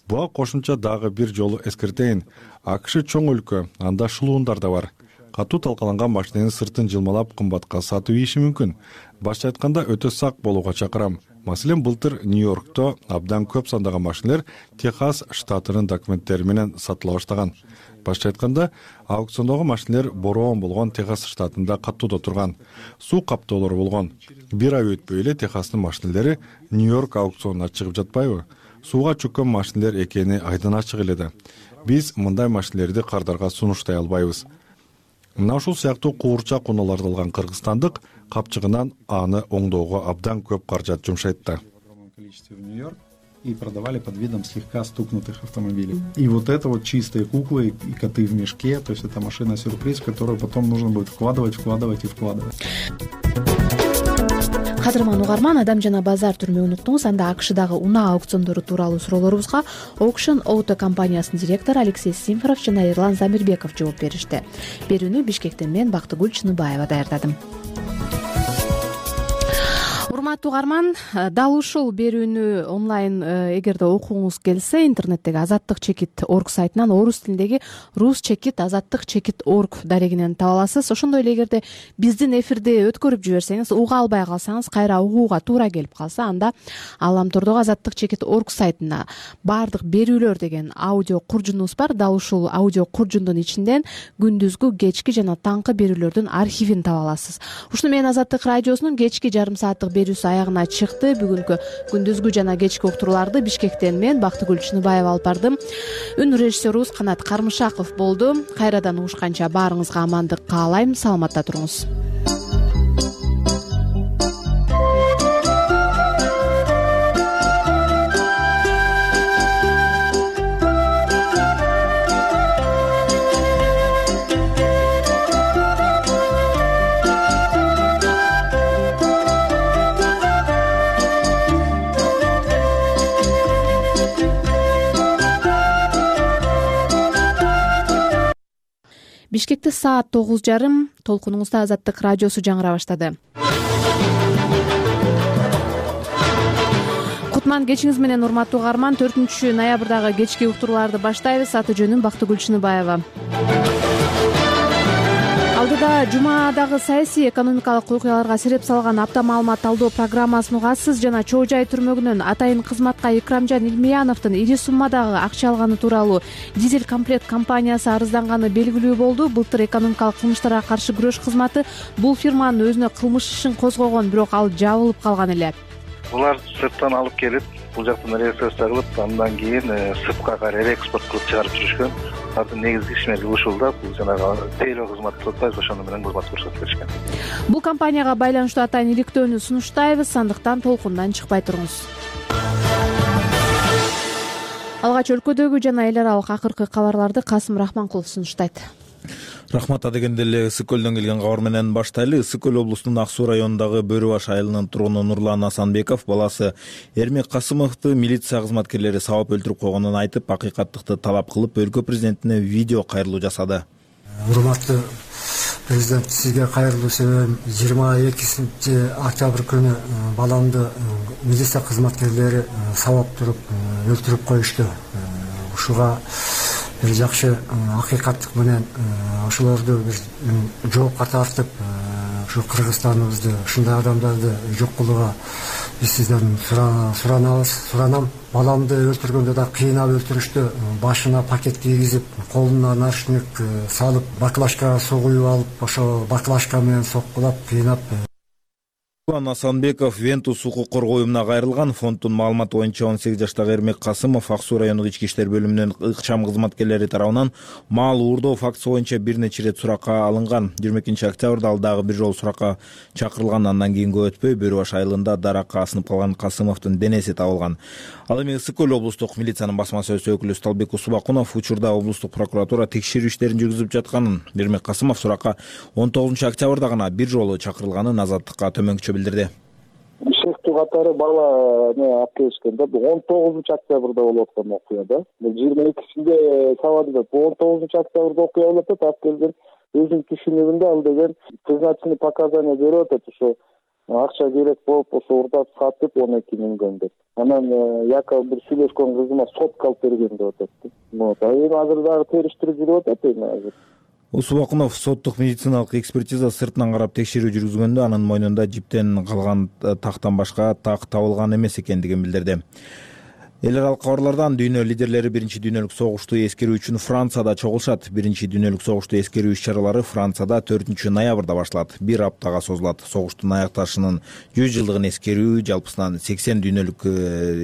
Буга кошумча дагы бир жолу эскертейин. АКШ чоң өлкө, анда шулуундар да бар. Катуу талкаланган машиненин сыртын жылмалап кымбатка сатып ийиши мүмкүн. Башка айтканда өтө сак болууга чакырам. Маселен, былтыр Нью-Йоркто абдан көп сандаган машинелер Техас штатынын документтери менен сатыла баштаган. Башка айтканда, аукциондогу машинелер бороон болгон Техас штатында каттууда турган. Суу каптоолору болгон. Бир ай өтпөй эле Техастын машинелери Нью-Йорк аукционуна чыгып жатпайбы? Сууга чөккөн машинелер экени айдан ачык эле да. Биз мындай машинелерди кардарга сунуштай албайбыз. Мына ушул сыяктуу куурчак унааларды алган кыргызстандык капчыгынан аны оңдоого абдан көп каражат жумшайт да. И продавали под видом слегка стукнутых автомобилей. И вот это вот чистые куклы и коты в мешке, то есть это машина-сюрприз, которую потом нужно будет вкладывать, вкладывать и вкладывать. Кадырман угарман, Адам жана базар түрмө унуктуңуз. Анда АКШдагы унаа аукциондору тууралуу суроолорубузга Auction Auto компаниясынын директору Алексей Симфоров жана Эрлан Замирбеков жооп беришти. Берүүнү Бишкектен мен Бактыгүл Чыныбаева даярдадым. урматтуу угарман, дал ушул берүүнү онлайн эгерде окугуңуз келсе, интернеттеги азаттык чекит точка орг сайтынан орус тилиндеги рус чекит азаттык чекит точка орг дарегинен таба аласыз. Ошондой эле эгерде биздин эфирди өткөрүп жиберсеңиз, уга албай калсаңыз, кайра угууга туура келип калса, анда Ааламтордогу азаттык чекит точка орг сайтына баардык берүүлөр деген аудио куржунубуз бар. Дал ушул аудио куржундун ичинден күндүзгү, кечки жана таңкы берүүлөрдүн архивин таба аласыз. Ушуну менен Азаттык радиосунун кечки жарым сааттык берүүсү аягына чыкты. Бүгүнкү күндүзгү жана кечки уктурууларды Бишкектен мен Бактыгүл Чыныбаева алып бардым. Үн режиссерубуз Канат Кармышаков болду. Кайрадан угушканча баарыңызга амандык каалайм. Саламатта туруңуз. Бишкекте саат тогуз жарым, толкунуңузда Азаттык радиосу жаңыра баштады. Кутман кечиңиз менен, урматтуу угарман. төртүнчү ноябрдагы кечки уктурууларды баштайбыз. Аты жөнүм Бактыгүл Чыныбаева. Алдыда жумадагы саясий экономикалык окуяларга сереп салган апта маалымат талдоо программасын угасыз жана Чоо Жай түрмөгүнөн атайын кызматка Икрамжан Илмияновдун ири суммадагы акча алганы тууралуу Дизель комплект компаниясы арызданганы белгилүү болду. Былтыр экономикалык кылмыштарга каршы күрөш кызматы бул фирманын өзүнө кылмыш ишин козгогон, бирок ал жабылып калган эле. Булар сырттан алып келип, бул жактан реализация кылып, андан кийин сыртка кайра экспорт кылып чыгарып жүрүшкөн. Алардын негизги ишмери ушул да, бул жанагы тейлөө кызматы деп атпайбыз, ошону менен кызмат көрсөтүп беришкен. Бул компанияга байланыштуу атайын иликтөөнү сунуштайбыз, андыктан толкундан чыкпай туруңуз. Алгач өлкөдөгү жана эл аралык акыркы кабарларды Касым Рахманкулов сунуштайт. Рахмат. Адегенде эле Ысык көлдөн келген кабар менен баштайлы. Ысык көл облусунун Ак Суу районундагы Бөрү баш айылынын тургуну Нурлан Асанбеков баласы Эрмек Касымовду милиция кызматкерлери сабап өлтүрүп койгонун айтып, акыйкаттыкты талап кылып, өлкө президентине видео кайрылуу жасады. Урматтуу президент, сизге кайрылуу себебим жыйырма экинчи октябрь күнү баламды милиция кызматкерлери сабап туруп өлтүрүп коюшту. Ушуга бир жакшы акыйкаттык менен ошолорду бир жоопко тартып, ушу Кыргызстаныбызды, ушундай адамдарды жок кылууга биз сизден суранабыз, суранам. Баламды өлтүргөндө да кыйнап өлтүрүштү. Башына пакет кийгизип, колуна наручник салып, баклажкага суу куюп алып, ошо баклажка менен соккулап, кыйнап. Нурлан Асанбеков Вентус укук коргоо уюмуна кайрылган. Фонддун маалыматы боюнча он сегиз жаштагы Эрмек Касымов Ак Суу райондук ички иштер бөлүмүнүн ыкчам кызматкерлери тарабынан маал уурдоо фактысы боюнча бир нече ирет суракка алынган. жыйырма экинчи октябрда ал дагы бир жолу суракка чакырылган. Андан кийин көп өтпөй Бөрү баш айылында даракка асынып калган Касымовдун денеси табылган. Ал эми Ысык көл облустук милициянын басма сөз өкүлү Сталбек Усубакунов учурда облустук прокуратура текшерүү иштерин жүргүзүп жатканын, Эрмек Касымов суракка он тогузунчу октябрда гана бир жолу чакырылганын Азаттыкка төмөнкүчө билдирди. Шектүү катары бала не алып келишкен да. Бул он тогузунчу октябрда болуп аткан окуя да. Бул жыйырма экисинде сабады да. Бул он тогузунчу октябрда окуя болуп атат. Алып келген өзүнүн түшүнүгүндө ал деген призначный показания берип атат. Ошо акча керек болуп, ошо урдап сатып он эки миңден деп. Анан якобы бир сүйлөшкөн кызыма сотко алып берген деп атат. Вот. А эми азыр дагы териштирип жүрүп атат эми азыр. Усубакунов соттук медициналык экспертиза сыртынан карап текшерүү жүргүзгөндө анын мойнунда жиптен калган тактан башка так табылган эмес экендигин билдирди. Эл аралык кабарлардан дүйнө лидерлери биринчи дүйнөлүк согушту эскерүү үчүн Францияда чогулушат. Биринчи дүйнөлүк согушту эскерүү иш-чаралары Францияда төртүнчү ноябрда башталат. Бир аптага созулат. Согуштун аякташынын жүз жылдыгын эскерүү жалпысынан сексен дүйнөлүк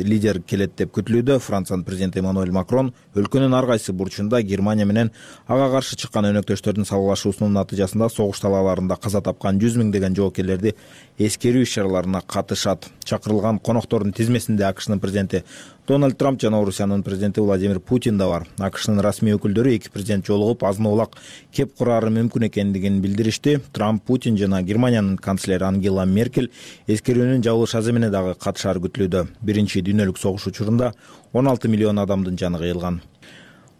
лидер келет деп күтүлүүдө. Франциянын президенти Эммануэль Макрон өлкөнүн ар кайсы бурчунда Германия менен ага каршы чыккан өнөктөштөрдүн салгылашуусунун натыйжасында согуш талааларында каза тапкан жүз миңдеген жоокерлерди эскерүү иш-чараларына катышат. Чакырылган коноктордун тизмесинде АКШнын президенти Дональд Трамп жана Орусиянын президенти Владимир Путин да бар. АКШнын расмий өкүлдөрү эки президент жолугуп азын-аулак кеп курары мүмкүн экендигин билдиришти. Трамп, Путин жана Германиянын канцлери Ангела Меркель эскерүүнүн жабылыш аземине дагы катышары күтүлүүдө. Биринчи дүйнөлүк согуш учурунда он алты миллион адамдын жаны кыйылган.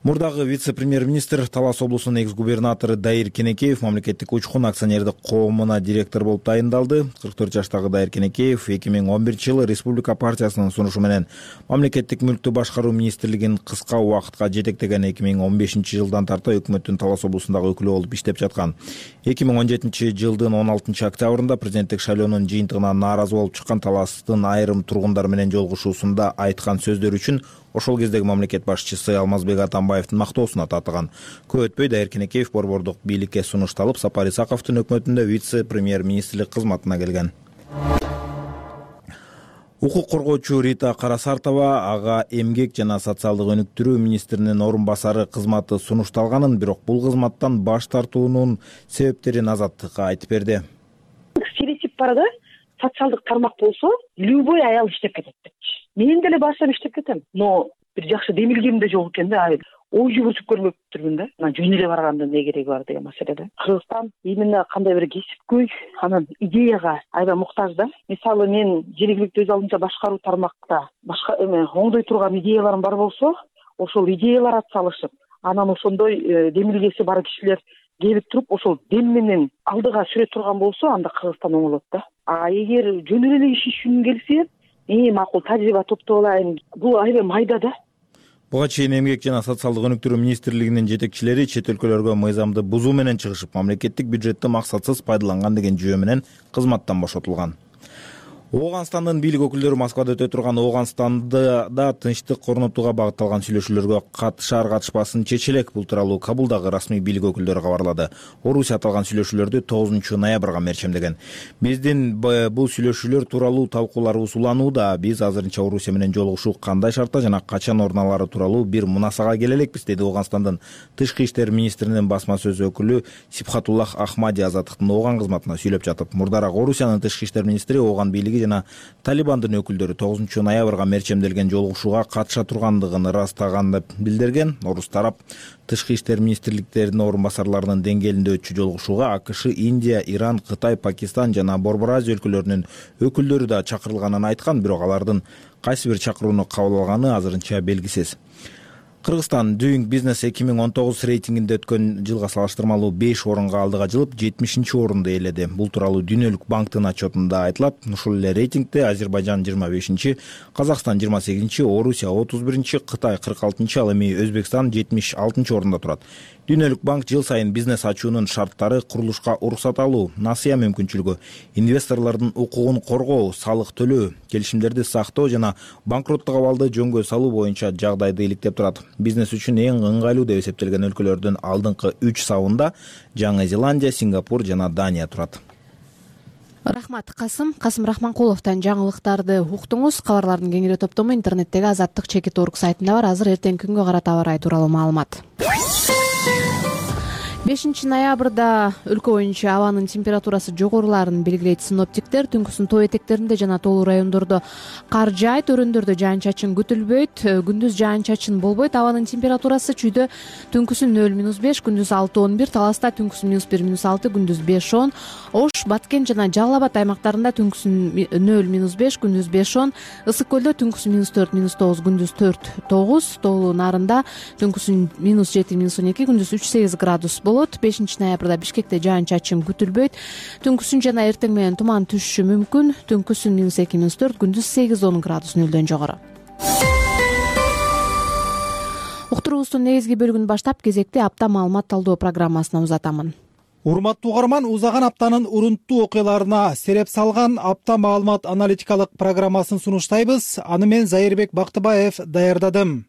Мурдагы вице-премьер-министр Талас облусунун экс-губернатору Дайыр Кенекеев мамлекеттик учкун акционердик коомуна директор болуп тайындалды. кырк төрт жаштагы Дайыр Кенекеев эки миң он биринчи жылы Республика партиясынын сунушу менен мамлекеттик мүлктү башкаруу министрлигин кыска убакытка жетектеген. эки миң он бешинчи жылдан тарта өкмөттүн Талас облусундагы өкүлү болуп иштеп жаткан. эки миң он жетинчи жылдын он алтынчы октябрында президенттик шайлоонун жыйынтыгына нааразы болуп чыккан Таластын айрым тургундар менен жолугушуусунда айткан сөздөрү үчүн ошол кездеги мамлекет башчысы Алмазбек Атамбаевдин мактоосуна татыган. Көп өтпөй Дайыр Кенекеев борбордук бийликке сунушталып, Сапар Исаковдун өкмөтүндө вице-премьер-министрлик кызматына келген. Укук коргоочу Рита Карасартова ага эмгек жана социалдык өнүктүрүү министринин орун басары кызматы сунушталганын, бирок бул кызматтан баш тартуунун себептерин Азаттыкка айтып берди. Стереотип бар да, социалдык тармак болсо, любой аял иштеп кетет. Мен деле баштап иштеп кетем, но бир жакшы демилгем да жок экен да, ой жүгүртүп көрмөптүрмүн да. Мына жөн эле барганда эмне кереги бар деген маселеде. Кыргызстан именно кандай бир кесипкөй, анан идеяга аябай муктаж да. Мисалы мен жергиликтүү өз алдынча башкаруу тармакта башка эме оңдой турган идеяларым бар болсо, ошол идеялар атсалышып, анан ошондой демилгеси бар кишилер келип туруп, ошол дем менен алдыга сүрө турган болсо, анда Кыргызстан оңолот да. А эгер жөн эле иш үчүн келсе, эң макул тажрыйба топтоп алайын. Бул аябай майда да. Буга чейин эмгек жана социалдык өнүктүрүү министрлигинин жетекчилери чет өлкөлөргө мыйзамды бузуу менен чыгышып, мамлекеттик бюджетти максатсыз пайдаланган деген жүйө менен кызматтан бошотулган. Ооганстандын бийлик өкүлдөрү Москвада өтө турган Ооганстанда да тынчтык орнотууга багытталган сүйлөшүүлөргө катышар катышпасын чече элек. Бул тууралуу Кабулдагы расмий бийлик өкүлдөрү кабарлады. Орусия аталган сүйлөшүүлөрдү тогузунчу ноябрга мерчемдеген. Биздин бул сүйлөшүүлөр тууралуу талкууларыбыз уланууда. Биз азырынча Орусия менен жолугушуу кандай шартта жана качан орун алары тууралуу бир мунасага келе элекпиз, деди Ооганстандын тышкы иштер министринин басма сөз өкүлү Сибхатуллах Ахмади Азаттыктын Ооган кызматына сүйлөп жатып. Мурдараак Орусиянын тышкы иштер министри Ооган бийлиги жана Талибандын өкүлдөрү тогузунчу ноябрга мерчемделген жолугушууга катыша тургандыгын ырастаган деп билдирген. Орус тарап тышкы иштер министрликтеринин орун басарларынын деңгээлинде өтчү жолугушууга АКШ, Индия, Иран, Кытай, Пакистан жана Борбор Азия өлкөлөрүнүн өкүлдөрү да чакырылганын айткан, бирок алардын кайсы бир чакырууну кабыл алганы азырынча белгисиз. Кыргызстан Doing Business эки миң он тогуз рейтингинде өткөн жылга салыштырмалуу беш орунга алдыга жылып, жетимишинчи орунду ээледи. Бул тууралуу Дүйнөлүк банктын отчетунда айтылат. Ушул эле рейтингде Азербайжан жыйырма бешинчи, Казакстан жыйырма сегизинчи, Орусия отуз биринчи, Кытай кырк алтынчы, ал эми Өзбекстан жетимиш алтынчы орунда турат. Дүйнөлүк банк жыл сайын бизнес ачуунун шарттары, курулушка уруксат алуу, насыя мүмкүнчүлүгү, инвесторлордун укугун коргоо, салык төлөө, келишимдерди сактоо жана банкроттук абалды жөнгө салуу боюнча жагдайды иликтеп турат. Бизнес үчүн эң ыңгайлуу деп эсептелген өлкөлөрдүн алдыңкы үч сабында Жаңы Зеландия, Сингапур жана Дания турат. Рахмат, Касым. Касым Рахманкуловдон жаңылыктарды уктуңуз. Кабарлардын кеңири топтому интернеттеги Азаттык чекит орг сайтында бар. Азыр эртеңки күнгө карата аба ырайы тууралуу маалымат. бешинчи ноябрда өлкө боюнча абанын температурасы жогорулаарын белгилейт синоптиктер. Түнкүсүн тоо этектеринде жана тоолуу райондордо кар жаайт, өрөөндөрдө жаан-чачын күтүлбөйт. Күндүз жаан-чачын болбойт. Абанын температурасы чүйдө түнкүсүн нөл минус беш, күндүз алты он бир, Таласта түнкүсүн минус бир минус алты, күндүз беш он, Ош, Баткен жана Жалал Абад аймактарында түнкүсүн нөл минус беш, күндүз беш он, Ысык көлдө түнкүсүн минус төрт минус тогуз, күндүз төрт тогуз, Тоолуу Нарында түнкүсүн минус жети минус он эки, күндүз үч сегиз градус болот. бешинчи ноябрда Бишкекте жаан-чачын күтүлбөйт. Түнкүсүн жана эртең менен туман түшүшү мүмкүн. Түнкүсүн минус эки минус төрт, күндүз сегиз он градус нөлдөн жогору. Уктуруубуздун негизги бөлүгүн баштап кезекти апта маалымат талдоо программасына узатамын. Урматтуу угарман, узаган аптанын урунттуу окуяларына сереп салган апта маалымат аналитикалык программасын сунуштайбыз. Аны мен Зайырбек Бактыбаев даярдадым.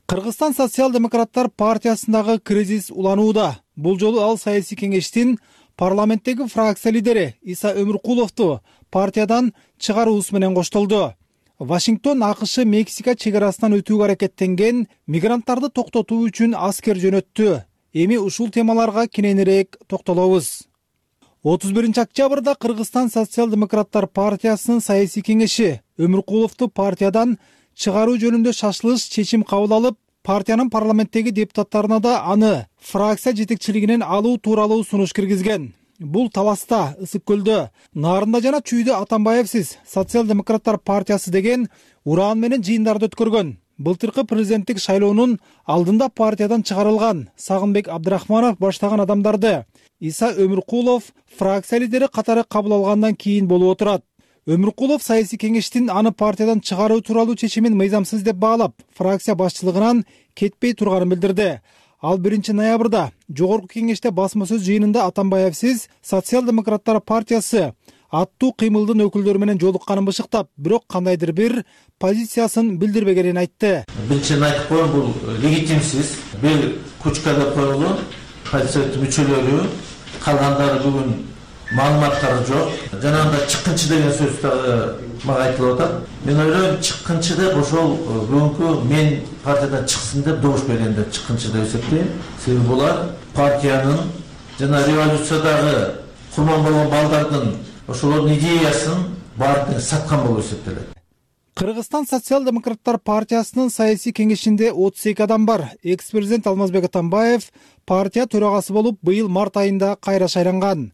Кыргызстан социал-демократтар партиясындагы кризис уланууда. Бул жолу ал саясий кеңештин парламенттеги фракция лидери Иса Өмүркуловду партиядан чыгаруусу менен коштолду. Вашингтон АКШ Мексика чек арасынан өтүүгө аракеттенген мигранттарды токтотуу үчүн аскер жөнөттү. Эми ушул темаларга кененирээк токтолобуз. отуз биринчи октябрда Кыргызстан социал-демократтар партиясынын саясий кеңеши Өмүркуловду партиядан чыгаруу жөнүндө шашылыш чечим кабыл алып, партиянын парламенттеги депутаттарына да аны фракция жетекчилигинен алуу тууралуу сунуш киргизген. Бул Таласта, Ысык көлдө, Нарында жана Чүйдө Атамбаевсиз социал-демократтар партиясы деген ураан менен жыйындарды өткөргөн. былтыркы президенттик шайлоонун алдында партиядан чыгарылган Сагынбек Абдрахманов баштаган адамдарды Иса Өмүркулов фракция лидери катары кабыл алгандан кийин болуп отурат. Өмүркулов саясий кеңештин аны партиядан чыгаруу тууралуу чечимин мыйзамсыз деп баалап, фракция башчылыгынан кетпей турганын билдирди. Ал биринчи ноябрда жогорку кеңеште басма сөз жыйынында Атамбаевсиз Социал-демократтар партиясы аттуу кыймылдын өкүлдөрү менен жолукканын бышыктап, бирок кандайдыр бир позициясын билдирбегенин айтты. Биринчиден айтып коеюн, бул легитимсиз, бир кучкада коюлган партия мүчөлөрү, калгандары бүгүн маалыматтары жок. Жанагында чыккынчы деген сөз дагы мага айтылып атат. Мен ойлойм, чыккынчы деп ошол бүгүнкү мен партиядан чыксын деп добуш берген деп чыккынчы деп эсептейм. Себеби булар партиянын жана революциядагы курман болгон балдардын ошолордун идеясын баардыгын саткан болуп эсептелет. Кыргызстан социал-демократтар партиясынын саясий кеңешинде отуз эки адам бар. Экс-президент Алмазбек Атамбаев партия төрагасы болуп быйыл март айында кайра шайланган.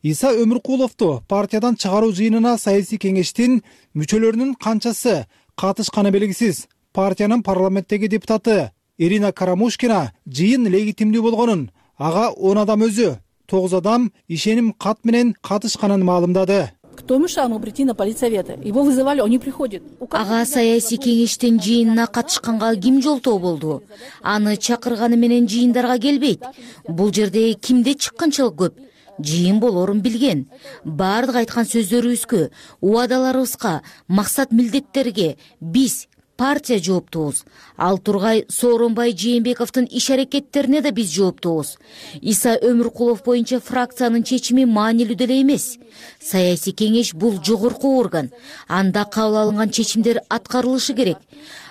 Иса Өмүркуловду партиядан чыгаруу жыйынына саясий кеңештин мүчөлөрүнүн канчасы катышканы белгисиз. Партиянын парламенттеги депутаты Ирина Карамушкина жыйын легитимдүү болгонун, ага он адам өзү, тогуз адам ишеним кат менен катышканын маалымдады. Кто мешал ему прийти на политсоветы? Его вызывали, он не приходит. Ага саясий кеңештин жыйынына катышканга ким жолтоо болду? Аны чакырганы менен жыйындарга келбейт. Бул жерде кимде чыккынчылык көп? Жыйын болорун билген. Бардык айткан сөздөрүбүзгө, убадаларыбызга, максат милдеттерге биз партия жооптуубуз. Ал тургай Сооронбай Жээнбековдун иш аракеттерине да биз жооптуубуз. Иса Өмүркулов боюнча фракциянын чечими маанилүү деле эмес. Саясий кеңеш бул жогорку орган. Анда кабыл алынган чечимдер аткарылышы керек.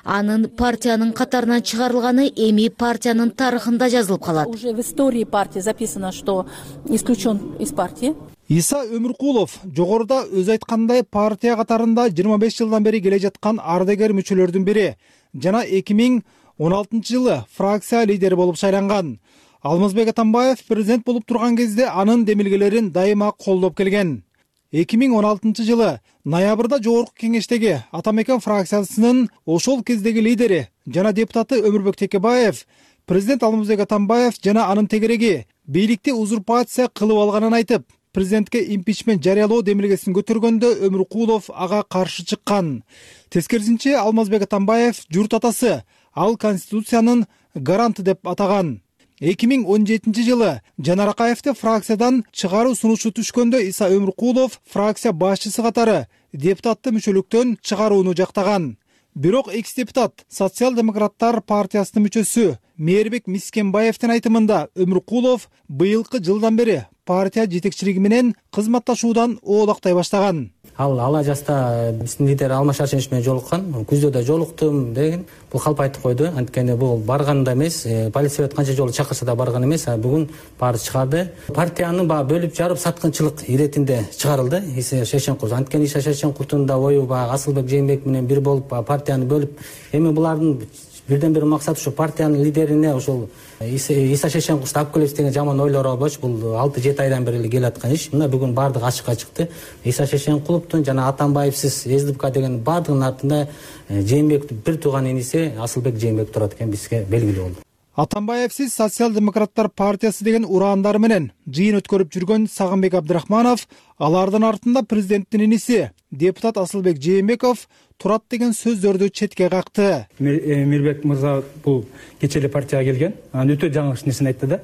Анын партиянын катарынан чыгарылганы эми партиянын тарыхында жазылып калат. Уже в истории партии записано, что исключен из партии. Иса Өмүркулов жогоруда өзү айткандай партия катарында жыйырма беш жылдан бери келе жаткан ардагер мүчөлөрдүн бири жана эки миң он алтынчы жылы фракция лидери болуп шайланган. Алмазбек Атамбаев президент болуп турган кезде анын демилгелерин дайыма колдоп келген. эки миң он алтынчы жылы ноябрда жогорку кеңештеги Атамекен фракциясынын ошол кездеги лидери жана депутаты Өмүрбек Текебаев президент Алмазбек Атамбаев жана анын тегереги бийликти узурпация кылып алганын айтып, президентке импичмент жарыялоо демилгесин көтөргөндө Өмүркулов ага каршы чыккан. Тескерисинче Алмазбек Атамбаев журт атасы, ал конституциянын гаранты деп атаган. эки миң он жетинчи жылы Жанар Акаевди фракциядан чыгаруу сунушу түшкөндө Иса Өмүркулов фракция башчысы катары депутатты мүчөлүктөн чыгарууну жактаган. Бирок экс-депутат Социал-демократтар партиясынын мүчөсү Мээрбек Мискенбаевдин айтымында Өмүркулов быйылкы жылдан бери партия жетекчилиги менен кызматташуудан оолактай баштаган. Ал ала жаста биздин лидер Алмаз Шаршенович менен жолуккан, күздө да жолуктум деген бул калп айтып койду. Анткени бул барган да эмес, политсовет канча жолу чакырса да барган эмес, а бүгүн баары чыгарды. Партияны баягы бөлүп жарып саткынчылык иретинде чыгарылды Иса Шешенкулов. Анткени Иса Шешенкуловдун да ою баягы Асылбек Жээнбеков менен бир болуп партияны бөлүп, эми булардын бирден бир максаты ушу партиянын лидерине ошол Иса Шешенкуловду алып келебиз деген жаман ойлор болчу. Бул алты жети айдан бери келе аткан иш. Мына бүгүн баардыгы ачыкка чыкты. Иса Шешенкуловдун жана Атамбаевсиз СДПК деген баардыгынын артында Жээнбековдун бир тууган иниси Асылбек Жээнбеков турат экен, бизге белгилүү болду. Атамбаевсиз Социал-демократтар партиясы деген ураандары менен жыйын өткөрүп жүргөн Сагынбек Абдрахманов, алардын артында президенттин иниси депутат Асылбек Жээнбеков турат деген сөздөрдү четке какты. Мирбек мырза бул кече эле партияга келген, анан өтө жаңылыш нерсени айтты да.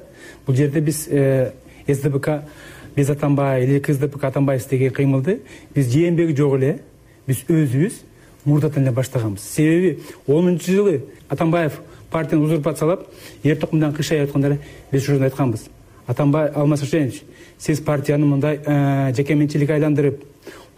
Бул жерде биз СДПК биз Атамбаев или КСДПК Атамбаев деген кыймылды биз Жээнбек жок эле биз өзүбүз мурдатан эле баштаганбыз. Себеби онунчу жылы Атамбаев партияны узурпациялап, ер токумдан кышай айтканда эле биз ушуну айтканбыз. Атамбаев Алмаз Шаршенович, сиз партияны мындай жекеменчиликке айландырып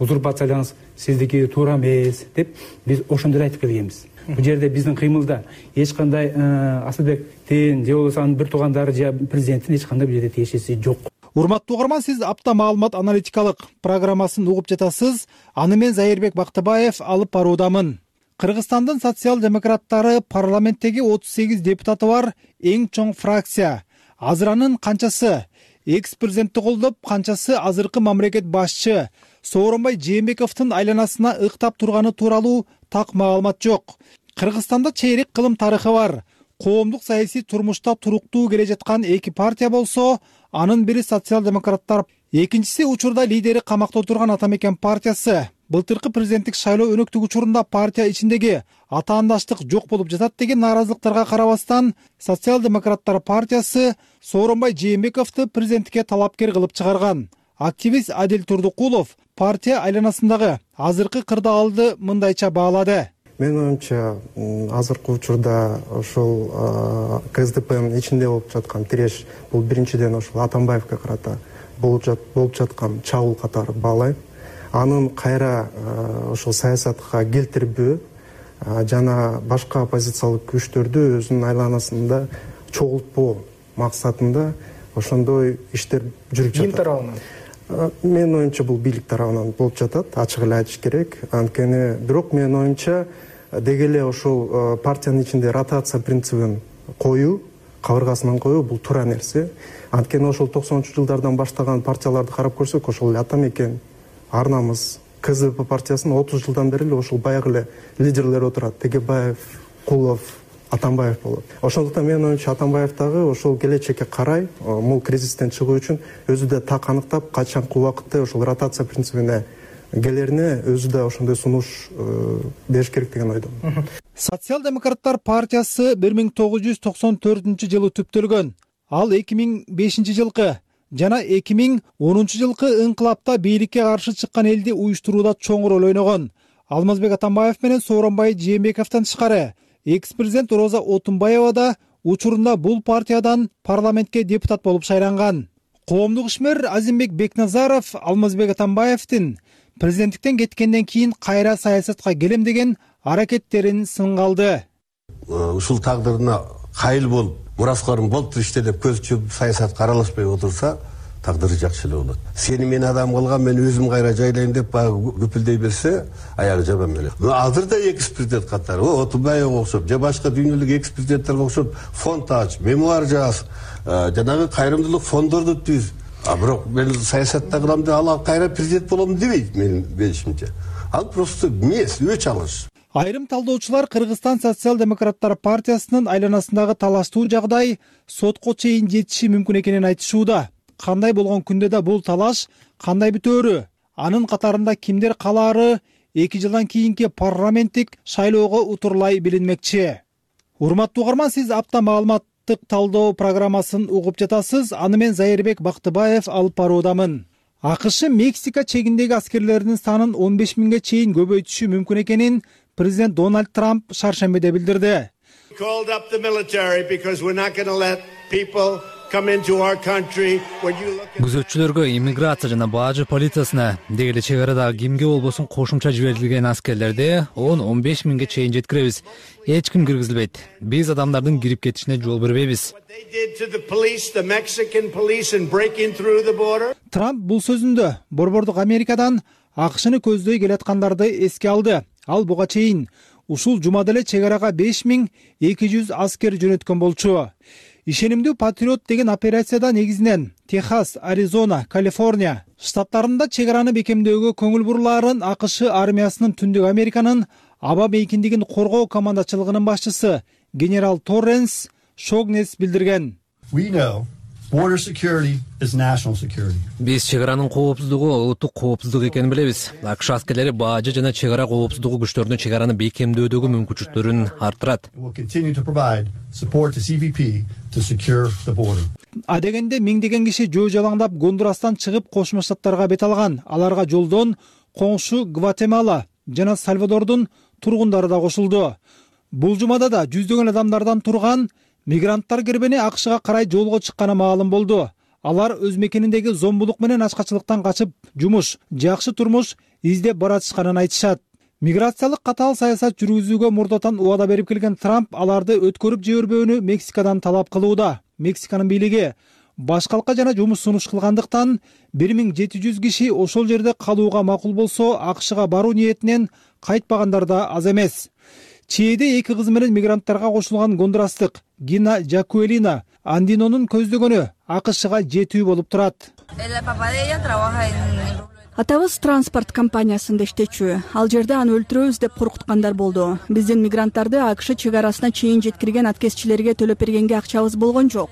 узурпациялаңыз, сиздики туура эмес деп биз ошондо эле айтып келгенбиз. Бул жерде биздин кыймылда эч кандай Асылбектин же болбосо анын бир туугандары же президенттин эч кандай бул жерде тиешеси жок. Урматтуу угарман, сиз апта маалымат аналитикалык программасын угуп жатасыз. Аны мен Зайырбек Бактыбаев алып баруудамын. Кыргызстандын социал-демократтары парламенттеги отуз сегиз депутаты бар эң чоң фракция. Азыр анын канчасы экс-президентти колдоп, канчасы азыркы мамлекет башчы Сооронбай Жээнбековдун айланасына ыктап турганы тууралуу так маалымат жок. Кыргызстанда чейрек кылым тарыхы бар. Коомдук саясий турмушта туруктуу келе жаткан эки партия болсо, анын бири социал-демократтар, экинчиси учурда лидери камакта отурган Ата Мекен партиясы. Былтыркы президенттик шайлоо өнөктүк учурунда партия ичиндеги атаандаштык жок болуп жатат деген нааразылыктарга карабастан, социал-демократтар партиясы Сооронбай Жээнбековду президенттикке талапкер кылып чыгарган. Активист Адил Турдукулов партия айланасындагы азыркы кырдаалды мындайча баалады. Мен оюмча, азыркы учурда ошол КСДПнын ичинде болуп жаткан тиреш бул биринчиден ошол Атамбаевге карата болуп жаткан чабуул катары баалайм. Анын кайра ошол саясатка келтирбөө жана башка оппозициялык күчтөрдү өзүнүн айланасында чогултпоо максатында ошондой иштер жүрүп жатат. Ким тарабынан? Менин оюмча бул бийлик тарабынан болуп жатат, ачык эле айтыш керек. Анткени бирок менин оюмча деги эле ошол партиянын ичинде ротация принцибин коюу, кабыргасынан коюу бул туура нерсе. Анткени ошол токсонунчу жылдардан баштаган партияларды карап көрсөк, ошол эле Ата Мекен, Ар намыс, КСДП партиясынын отуз жылдан бери эле ошол баягы эле лидерлер отурат. Тегебаев, Кулов, Атамбаев болот. Ошондуктан менин оюмча Атамбаев дагы ошол келечекке карай, бул кризистен чыгуу үчүн өзү да так аныктап, качанкы убакытта ошол ротация принцибине келерине өзү да ошондой сунуш бериш керек деген ойдомун. Социал-демократтар партиясы бир миң тогуз жүз токсон төртүнчү жылы түптөлгөн. Ал эки миң бешинчи жылкы жана эки миң онунчу жылкы ыңкылапта бийликке каршы чыккан элди уюштурууда чоң роль ойногон. Алмазбек Атамбаев менен Сооронбай Жээнбековдон тышкары экс-президент Роза Отунбаева да учурунда бул партиядан парламентке депутат болуп шайланган. Коомдук ишмер Азимбек Бекназаров Алмазбек Атамбаевдин президенттиктен кеткенден кийин кайра саясатка келем деген аракеттерин сынга алды. Ушул тагдырына кайыл болуп, мураскорум болуптур иште деп көз чүп саясатка аралашпай отурса, тагдыры жакшы эле болот. Сени мен адам кылган, мен өзүм кайра жайлайм деп баягы көпүлдөй берсе, аягы жаман эле. Азыр да экс-президент катары, Отунбаевга окшоп, же башка дүйнөлүк экс-президенттерге окшоп фонд ач, мемуар жаз, жанагы кайрымдуулук фондорду түз. А бирок мен саясатта кылам деп ал кайра президент болом дебейт менин билишимче. Ал просто эмес, өч алыш. Айрым талдоочулар Кыргызстан социал-демократтар партиясынын айланасындагы талаштуу жагдай сотко чейин жетиши мүмкүн экенин айтышууда. Кандай болгон күндө да бул талаш кандай бүтөөрү, анын катарында кимдер калаары эки жылдан кийинки парламенттик шайлоого утурлай билинмекчи. Урматтуу угарман, сиз апта маалыматтык талдоо программасын угуп жатасыз. Аны мен Зайырбек Бактыбаев алып баруудамын. АКШ Мексика чегиндеги аскерлеринин санын он беш миңге чейин көбөйтүшү мүмкүн экенин президент Дональд Трамп шаршембиде билдирди. Күзөтчүлөргө, иммиграция жана бажы полициясына, деги эле чек арадагы кимге болбосун кошумча жиберилген аскерлерди он он беш миңге чейин жеткиребиз. Эч ким киргизилбейт. Биз адамдардын кирип кетишине жол бербейбиз. Трамп бул сөзүндө Борбордук Америкадан АКШны көздөй келаткандарды эске алды. Ал буга чейин ушул жумада эле чек арага беш миң эки жүз аскер жөнөткөн болчу. Ишенимдүү патриот деген операцияда негизинен Техас, Аризона, Калифорния штаттарында чек араны бекемдөөгө көңүл бурулаарын АКШ армиясынын Түндүк Американын аба мейкиндигин коргоо командачылыгынын башчысы генерал Торренс Шогнес билдирген. Биз чек аранын коопсуздугу улуттук коопсуздук экенин билебиз. АКШ аскерлери бажы жана чек ара коопсуздугу күчтөрүнүн чек араны бекемдөөдөгү мүмкүнчүлүктөрүн арттырат. Адегенде миңдеген киши жөө жалаңдап Гондурастан чыгып Кошмо Штаттарга бет алган. Аларга жолдон коңшу Гватемала жана Сальвадордун тургундары да кошулду. Бул жумада да жүздөгөн адамдардан турган мигранттар кербени АКШга карай жолго чыкканы маалым болду. Алар өз мекениндеги зомбулук менен ачкачылыктан качып, жумуш, жакшы турмуш издеп баратышканын айтышат. Миграциялык катаал саясат жүргүзүүгө мурдатан убада берип келген Трамп аларды өткөрүп жибербөөнү Мексикадан талап кылууда. Мексиканын бийлиги башкалка жана жумуш сунуш кылгандыктан бир миң жети жүз киши ошол жерде калууга макул болсо, АКШга баруу ниетинен кайтпагандар да аз эмес. Чээде эки кызы менен мигранттарга кошулган гондурастык Гина Жакуэлина Андинонун көздөгөнү АКШга жетүү болуп турат. Атабыз транспорт компаниясында иштечү. Ал жерде аны өлтүрөбүз деп коркуткандар болду. Биздин мигранттарды АКШ чек арасына чейин жеткирген аткезчилерге төлөп бергенге акчабыз болгон жок.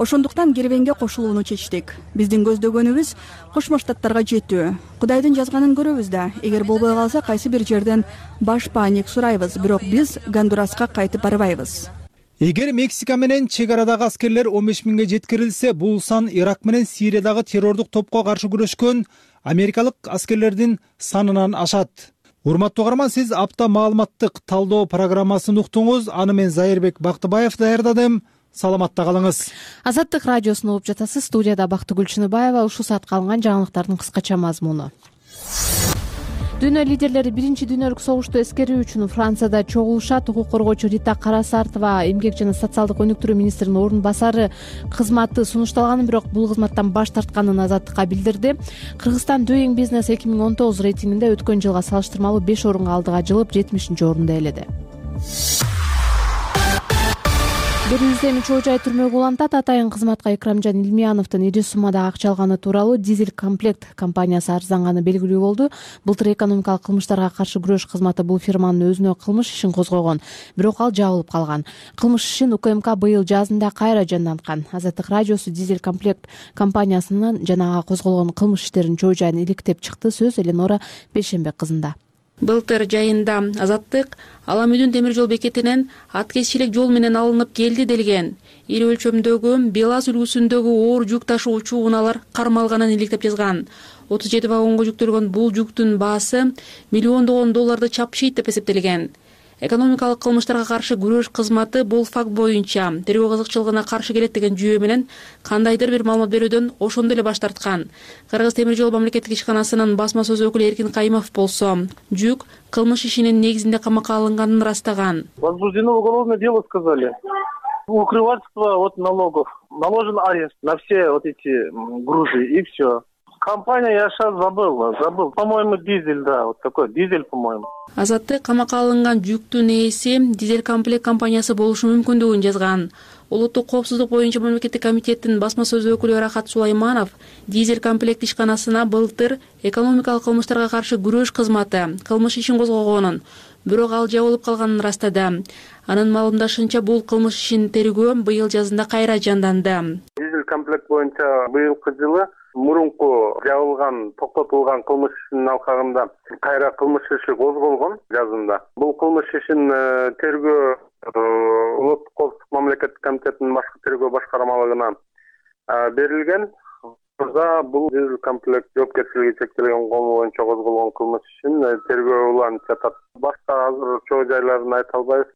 Ошондуктан кербенге кошулууну чечтик. Биздин көздөгөнүбүз Кошмо Штаттарга жетүү. Кудайдын жазганын көрөбүз да. Эгер болбой калса кайсы бир жерден баш пааник сурайбыз, бирок биз Гондураска кайтып барбайбыз. Эгер Мексика менен чек арадагы аскерлер он беш миңге жеткирилсе, бул сан Ирак менен Сириядагы террордук топко каршы күрөшкөн америкалык аскерлердин санынан ашат. Урматтуу угарман, сиз апта маалыматтык талдоо программасын уктуңуз. Аны мен Зайырбек Бактыбаев даярдадым. Саламатта калыңыз. Азаттык радиосун угуп жатасыз. Студияда Бактыгүл Чыныбаева. Ушул саатка алынган жаңылыктардын кыскача мазмуну. Дүйнө лидерлери биринчи дүйнөлүк согушту эскерүү үчүн Францияда чогулушат. Укук коргоочу Рита Карасартова эмгек жана социалдык өнүктүрүү министринин орун басары кызматы сунушталганын, бирок бул кызматтан баш тартканын Азаттыкка билдирди. Кыргызстан Doing Business эки миң он тогуз рейтингинде өткөн жылга салыштырмалуу беш орунга алдыга жылып жетимишинчи орунду ээледи. бир жүз эми чоо жай түрмөгө улантат. Атайын кызматка Икрамжан Илмияновдун ири суммада акча алганы тууралуу Дизель Комплект компаниясы арызанганы белгилүү болду. Былтыр экономикалык кылмыштарга каршы күрөш кызматы бул фирманын өзүнө кылмыш ишин козгогон, бирок ал жабылып калган. Кылмыш ишин УКМК быйыл жазында кайра жанданткан. Азаттык радиосу Дизель Комплект компаниясынын жанагы козголгон кылмыш иштеринин чоо жайын иликтеп чыкты. Сөз Эленора Бейшенбек кызында. Былтыр жайында Азаттык Аламүдүн темир жол бекетинен аткезчилик жол менен алынып келди делген. Ири өлчөмдөгү Белаз үлгүсүндөгү оор жүк ташуучу унаалар кармалганын иликтеп жазган. отуз жети вагонго жүктөлгөн бул жүктүн баасы миллиондогон долларды чапшыйт деп эсептелген. Экономикалык кылмыштарга каршы күрөш кызматы бул факт боюнча тергөө кызыкчылыгына каршы келет деген жүйө менен кандайдыр бир маалымат берүүдөн ошондо эле баш тарткан. Кыргыз темир жол мамлекеттик ишканасынын басма сөз өкүлү Эркин Кайымов болсо, жүк кылмыш ишинин негизинде камакка алынганын ырастаган. Возбуждено уголовное дело, сказали. Укрывательство от налогов. Наложен арест на все вот эти грузы и все. Компания я сейчас забыл, забыл. По-моему, дизель, да, вот такой дизель, по-моему. Азаттык камакка алынган жүктүн ээси Дизель Комплект компаниясы болушу мүмкүндүгүн жазган. Улуттук коопсуздук боюнча мамлекеттик комитеттин басма сөз өкүлү Рахат Сулайманов Дизель Комплект ишканасына былтыр экономикалык кылмыштарга каршы күрөш кызматы кылмыш ишин козгогонун, бирок ал жабылып калганын ырастады. Анын маалымдашынча, бул кылмыш ишин тергөө быйыл жазында кайра жанданды. Дизель Комплект боюнча быйылкы жылы мурунку жабылган, токтотулган кылмыш ишинин алкагында кайра кылмыш иши козголгон жазында. Бул кылмыш ишин тергөө улуттук коопсуздук мамлекеттик комитетинин башкы тергөө башкармалыгына берилген. Бул Дизель Комплект жоопкерчилиги чектелген кому боюнча козголгон кылмыш ишин тергөө уланып жатат. Башка азыр чоо жайларын айта албайбыз.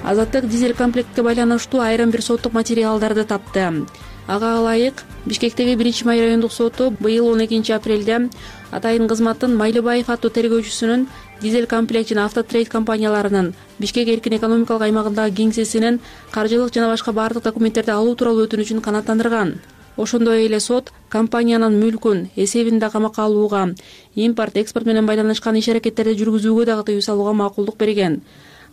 Азаттык Дизель Комплектке байланыштуу айрым бир соттук материалдарды тапты. Ага ылайык Бишкектеги биринчи май райондук соту быйыл он экинчи апрелде Атайын кызматтын Майлыбаев аттуу тергөөчүсүнүн Дизель Комплект жана Автотрейд компанияларынын Бишкек эркин экономикалык аймагындагы кеңсесинин каржылык жана башка бардык документтерди алуу тууралуу өтүнүчүн канааттандырган. Ошондой эле сот компаниянын мүлкүн эсебинде камакка алууга, импорт, экспорт менен байланышкан иш-аракеттерди жүргүзүүгө дагы тыюу салууга макулдук берген.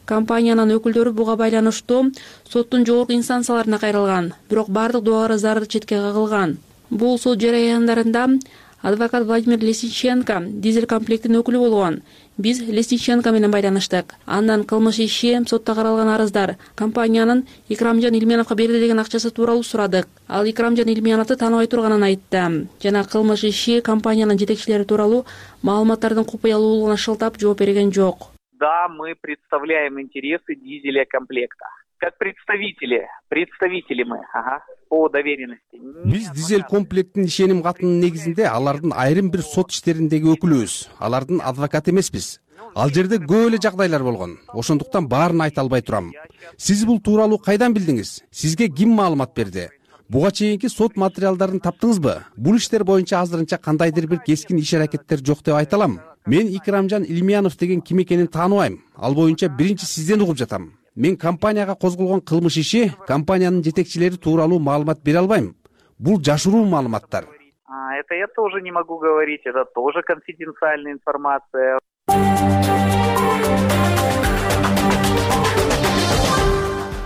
Компаниянын өкүлдөрү буга байланыштуу соттун жогорку инстанцияларына кайрылган, бирок бардык доо арыздары четке кагылган. Бул сот жараяндарында адвокат Владимир Лесниченко Дизель Комплектин өкүлү болгон. Биз Лесниченко менен байланыштык. Андан кылмыш иши, сотто каралган арыздар компаниянын Икрамжан Илмияновго берди деген акчасы тууралуу сурадык. Ал Икрамжан Илмияновду тааныбай турганын айтты. Жана кылмыш иши компаниянын жетекчилери тууралуу маалыматтардын купуялуулугуна шылтап жооп берген жок. Да, мы представляем интересы Дизеля Комплекта. Как представители, представители мы, ага, по доверенности. Биз Дизель Комплектин ишеним катынын негизинде алардын айрым бир сот иштериндеги өкүлүбүз, алардын адвокаты эмеспиз. Ал жерде көп эле жагдайлар болгон. Ошондуктан баарын айта албай турам. Сиз бул тууралуу кайдан билдиңиз? Сизге ким маалымат берди? Буга чейинки сот материалдарын таптыңызбы? Бул иштер боюнча азырынча кандайдыр бир кескин иш-аракеттер жок деп айта алам. Мен Икрамжан Илмиянов деген ким экенин тааныбайм. Ал боюнча биринчи сизден угуп жатам. Мен компанияга козголгон кылмыш иши, компаниянын жетекчилери тууралуу маалымат бере албайм. Бул жашыруу маалыматтар. А, это я тоже не могу говорить, это тоже конфиденциальная информация.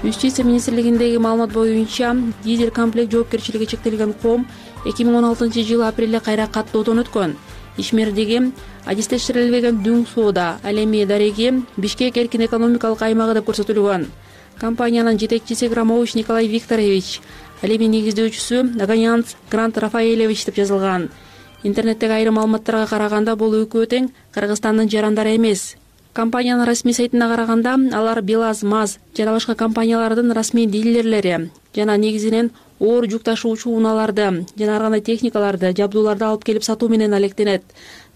Юстиция министрлигиндеги маалымат боюнча дизель комплект жоопкерчилиги чектелген ком эки миң он алтынчы жылы апрелде кайра каттоодон өткөн. Ишмердиги адистештирилбеген дүң соода, ал эми дареги Бишкек эркин экономикалык аймагы деп көрсөтүлгөн. Компаниянын жетекчиси Громович Николай Викторович, ал эми негиздөөчүсү Аганянц Грант Рафаэлевич деп жазылган. Интернеттеги айрым маалыматтарга караганда бул экөө тең Кыргызстандын жарандары эмес. Компаниянын расмий сайтына караганда алар БелАЗ, МАЗ жана башка компаниялардын расмий дилерлери жана негизинен оор жүк ташуучу унааларды жана ар кандай техникаларды, жабдууларды алып келип сатуу менен алектенет.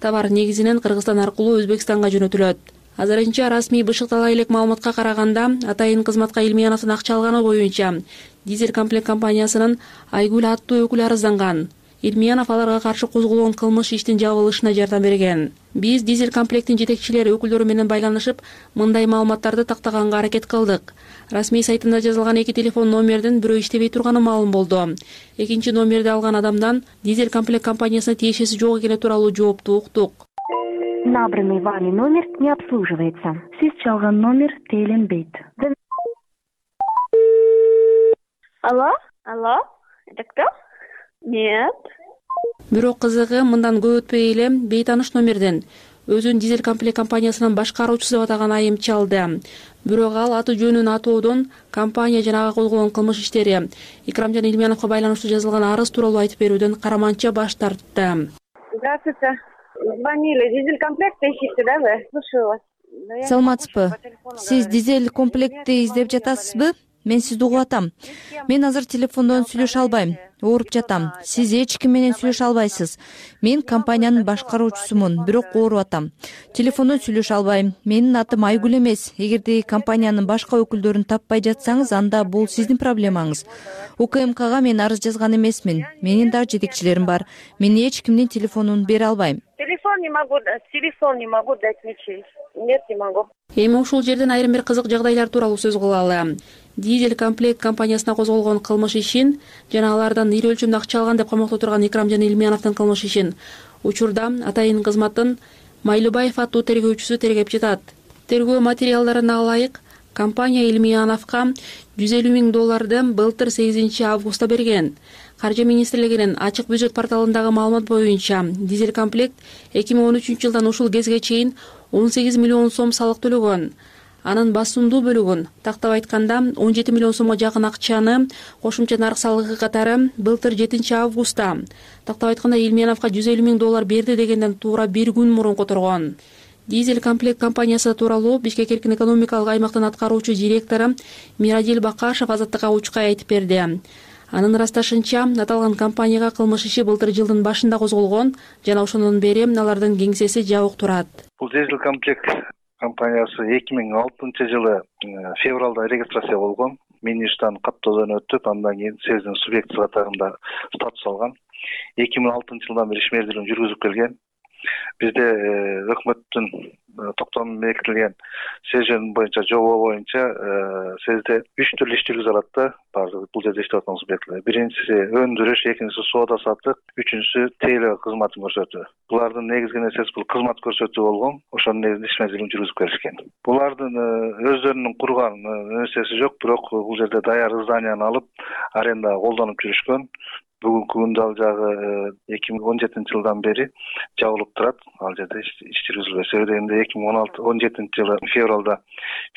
Товар негизинен Кыргызстан аркылуу Өзбекстанга жөнөтүлөт. Азырынча расмий бышыктала элек маалыматка караганда Атайын кызматка Илмияновдон акча алганы боюнча дизель комплект компаниясынын Айгүл аттуу өкүлү арызданган. Илмиянов аларга каршы козголгон кылмыш иштин жабылышына жардам берген. Биз дизель комплектин жетекчилери өкүлдөрү менен байланышып, мындай маалыматтарды тактаганга аракет кылдык. Расмий сайтында жазылган эки телефон номердин бирөө иштебей турганы маалым болду. Экинчи номерди алган адамдан дизель комплект компаниясына тиешеси жок экени тууралуу жоопту уктук. Набранный вами номер не обслуживается. Сиз чалган номер тейлинбейт. Алло? Алло? Это кто? Нет. Бирок кызыгы мындан көп өтпөй эле бейтаныш номерден өзүн дизель комплект компаниясынын башкаруучусу деп атаган айым чалды. Бирок ал аты жөнүн атоодон компания жана ага козголгон кылмыш иштери Икрамжан Илмияновго байланыштуу жазылган арыз тууралуу айтып берүүдөн караманча баш тартты. Здравствуйте. Звонили. Дизель комплект ищете, да, вы? Слушаю вас. Саламатсызбы? Сиз дизель комплектти издеп жатасызбы? Мен сизди угуп атам. Мен азыр телефондон сүйлөшө албайм. Ооруп жатам. Сиз эч ким менен сүйлөшө албайсыз. Мен компаниянын башкаруучусумун, бирок ооруп атам. Телефондон сүйлөшө албайм. Менин атым Айгүл эмес. Эгерде компаниянын башка өкүлдөрүн таппай жатсаңыз, анда бул сиздин проблемаңыз. УКМКга мен арыз жазган эмесмин. Менин дагы жетекчилерим бар. Мен эч кимдин телефонун бере албайм. Телефон не могу дать. Телефон не могу дать ничей. Нет, не могу. Эми ушул жерден айрым бир кызык жагдайлар тууралуу сөз кылалы. Дизель комплект компаниясына козголгон кылмыш ишин жана алардан ири өлчөмдө акча алган деп камакта турган Икрамжан Илмияновдун кылмыш ишин учурда Атайын кызматтын Майлыбаев аттуу тергөөчүсү тергеп жатат. Тергөө материалдарына ылайык компания Илмияновго жүз элүү миң долларды былтыр сегизинчи августта берген. Каржы министрлигинин ачык бюджет порталындагы маалымат боюнча дизель комплект эки миң он үчүнчү жылдан ушул кезге чейин он сегиз миллион сом салык төлөгөн. Анын басымдуу бөлүгүн, тактап айтканда он жети миллион сомго жакын акчаны кошумча нарк салыгы катары былтыр жетинчи августта, тактап айтканда Илмияновго жүз элүү миң доллар берди дегенден туура бир күн мурун которгон. Дизель комплект компаниясы тууралуу Бишкек эркин экономикалык аймактын аткаруучу директору Мирадил Бакашев Азаттыкка учкай айтып берди. Анын ырасташынча, аталган компанияга кылмыш иши былтыр жылдын башында козголгон жана ошондон бери алардын кеңсеси жабык турат. Бул дизель комплект компаниясы эки миң алтынчы жылы февралда регистрация болгон. Министрден каттоодон өтүп, андан кийин сездин субъекти катарында статус алган. эки миң алтынчы жылдан бери ишмердүүлүгүн жүргүзүп келген. Бизде өкмөттүн токтомунда бекитилген сезин боюнча жобо боюнча сезде үч түрлүү иш жүргүзө алат да, баардык бул жерде иштеп аткан субъекттер. Биринчиси өндүрүш, экинчиси соода саттык, үчүнчүсү тейлөө кызматын көрсөтүү. Булардын негизги нерсеси бул кызмат көрсөтүү болгон. Ошонун негизинде ишмердүүлүгүн жүргүзүп келишкен. Булардын өздөрүнүн курган нерсеси жок, бирок бул жерде даяр зданияны алып, арендага колдонуп жүрүшкөн. Бүгүнкү күндө ал жагы эки миң он жетинчи жылдан бери жабылып турат. Ал жерде иш жүргүзүлбөй. Себеби эки миң он жетинчи жылы февралда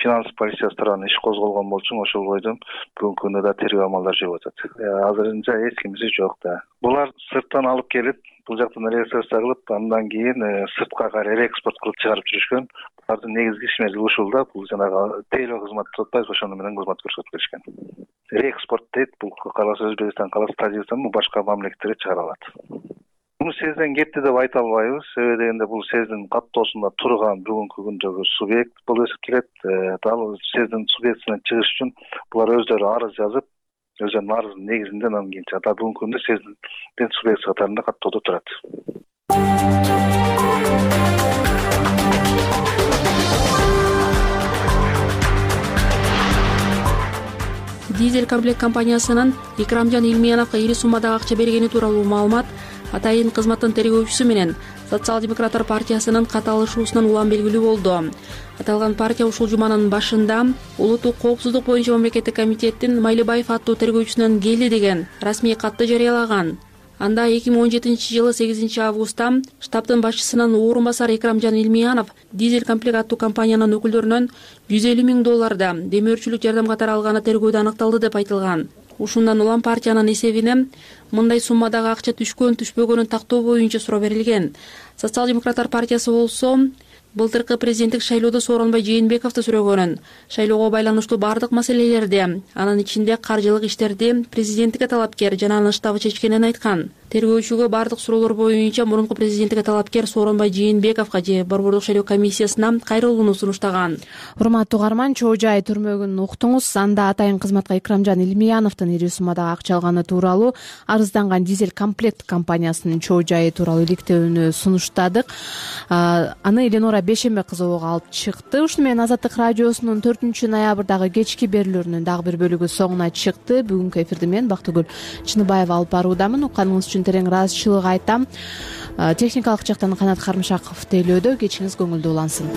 финанс полициясы тарабынан иш козголгон болчу, ошол бойдон бүгүнкү күндө да тергөө амалдары жүрүп атат. Азырынча эч кимиси жок да. Булар сырттан алып келип, бул жактан регистрация кылып, андан кийин сыртка кайра экспорт кылып чыгарып жүрүшкөн. Булардын негизги ишмердүүлүгү ушул да, бул жанагы тейлөө кызмат деп атпайбыз, ошону менен кызмат көрсөтүп келишкен. Реэкспорт дейт, бул каласа Өзбекстан, каласа Тажикстан, башка мамлекеттерге чыгара алат. Муну сезден кетти деп айта албайбыз. Себеби дегенде бул сездин каттоосунда турган бүгүнкү күндөгү субъект болуп эсептелет. Дал сездин субъектисинен чыгыш үчүн булар өздөрү арыз жазып, өздөрүнүн арызынын негизинде анан кийин да бүгүнкү күндө сездин субъекти катарында каттоодо турат. Дизель комплект компаниясынын Икрамжан Илмияновго ири суммадагы акча бергени тууралуу маалымат Атайын кызматтын тергөөчүсү менен Социал демократтар партиясынын каталышуусунан улам белгилүү болду. Аталган партия ушул жуманын башында улуттук коопсуздук боюнча мамлекеттик комитеттин Майлыбаев аттуу тергөөчүсүнөн келди деген расмий катты жарыялаган. Анда эки миң он жетинчи жылы сегизинчи августта штабтын башчысынын орун басары Экрамжан Илмиянов дизель комплект аттуу компаниянын өкүлдөрүнөн жүз элүү миң долларда демөөрчүлүк жардам катары алганы тергөөдө аныкталды деп айтылган. Ушундан улам партиянын эсебине мындай суммадагы акча түшкөн түшпөгөнүн тактоо боюнча суроо берилген. Социал демократтар партиясы болсо былтыркы президенттик шайлоодо Сооронбай Жээнбековду сүрөгөнүн, шайлоого байланыштуу бардык маселелерди, анын ичинде каржылык иштерди президенттикке талапкер жана анын штабы чечкенин айткан. Тергөөчүгө бардык суроолор боюнча мурунку президенттикке талапкер Сооронбай Жээнбековго же Борбордук шайлоо комиссиясына кайрылууну сунуштаган. Урматтуу угарман, чоо жай түрмөгүн уктуңуз. Анда атайын кызматка Экрамжан Илмияновдун ири суммадагы акча алганы тууралуу арызданган дизель комплект компаниясынын чоо жайы тууралуу иликтөөнү сунуштадык. Аны Эленора Бешембек кызы ого алып чыкты. Ушуну менен Азаттык радиосунун төртүнчү ноябрдагы кечки берүүлөрүнүн дагы бир бөлүгү соңуна чыкты. Бүгүнкү эфирди мен Бактыгүл Чыныбаева алып баруудамын. Укканыңыз үчүн терең ыраазычылык айтам. Техникалык жактан Канат Кармышаков тейлөөдө. Кечиңиз көңүлдүү улансын.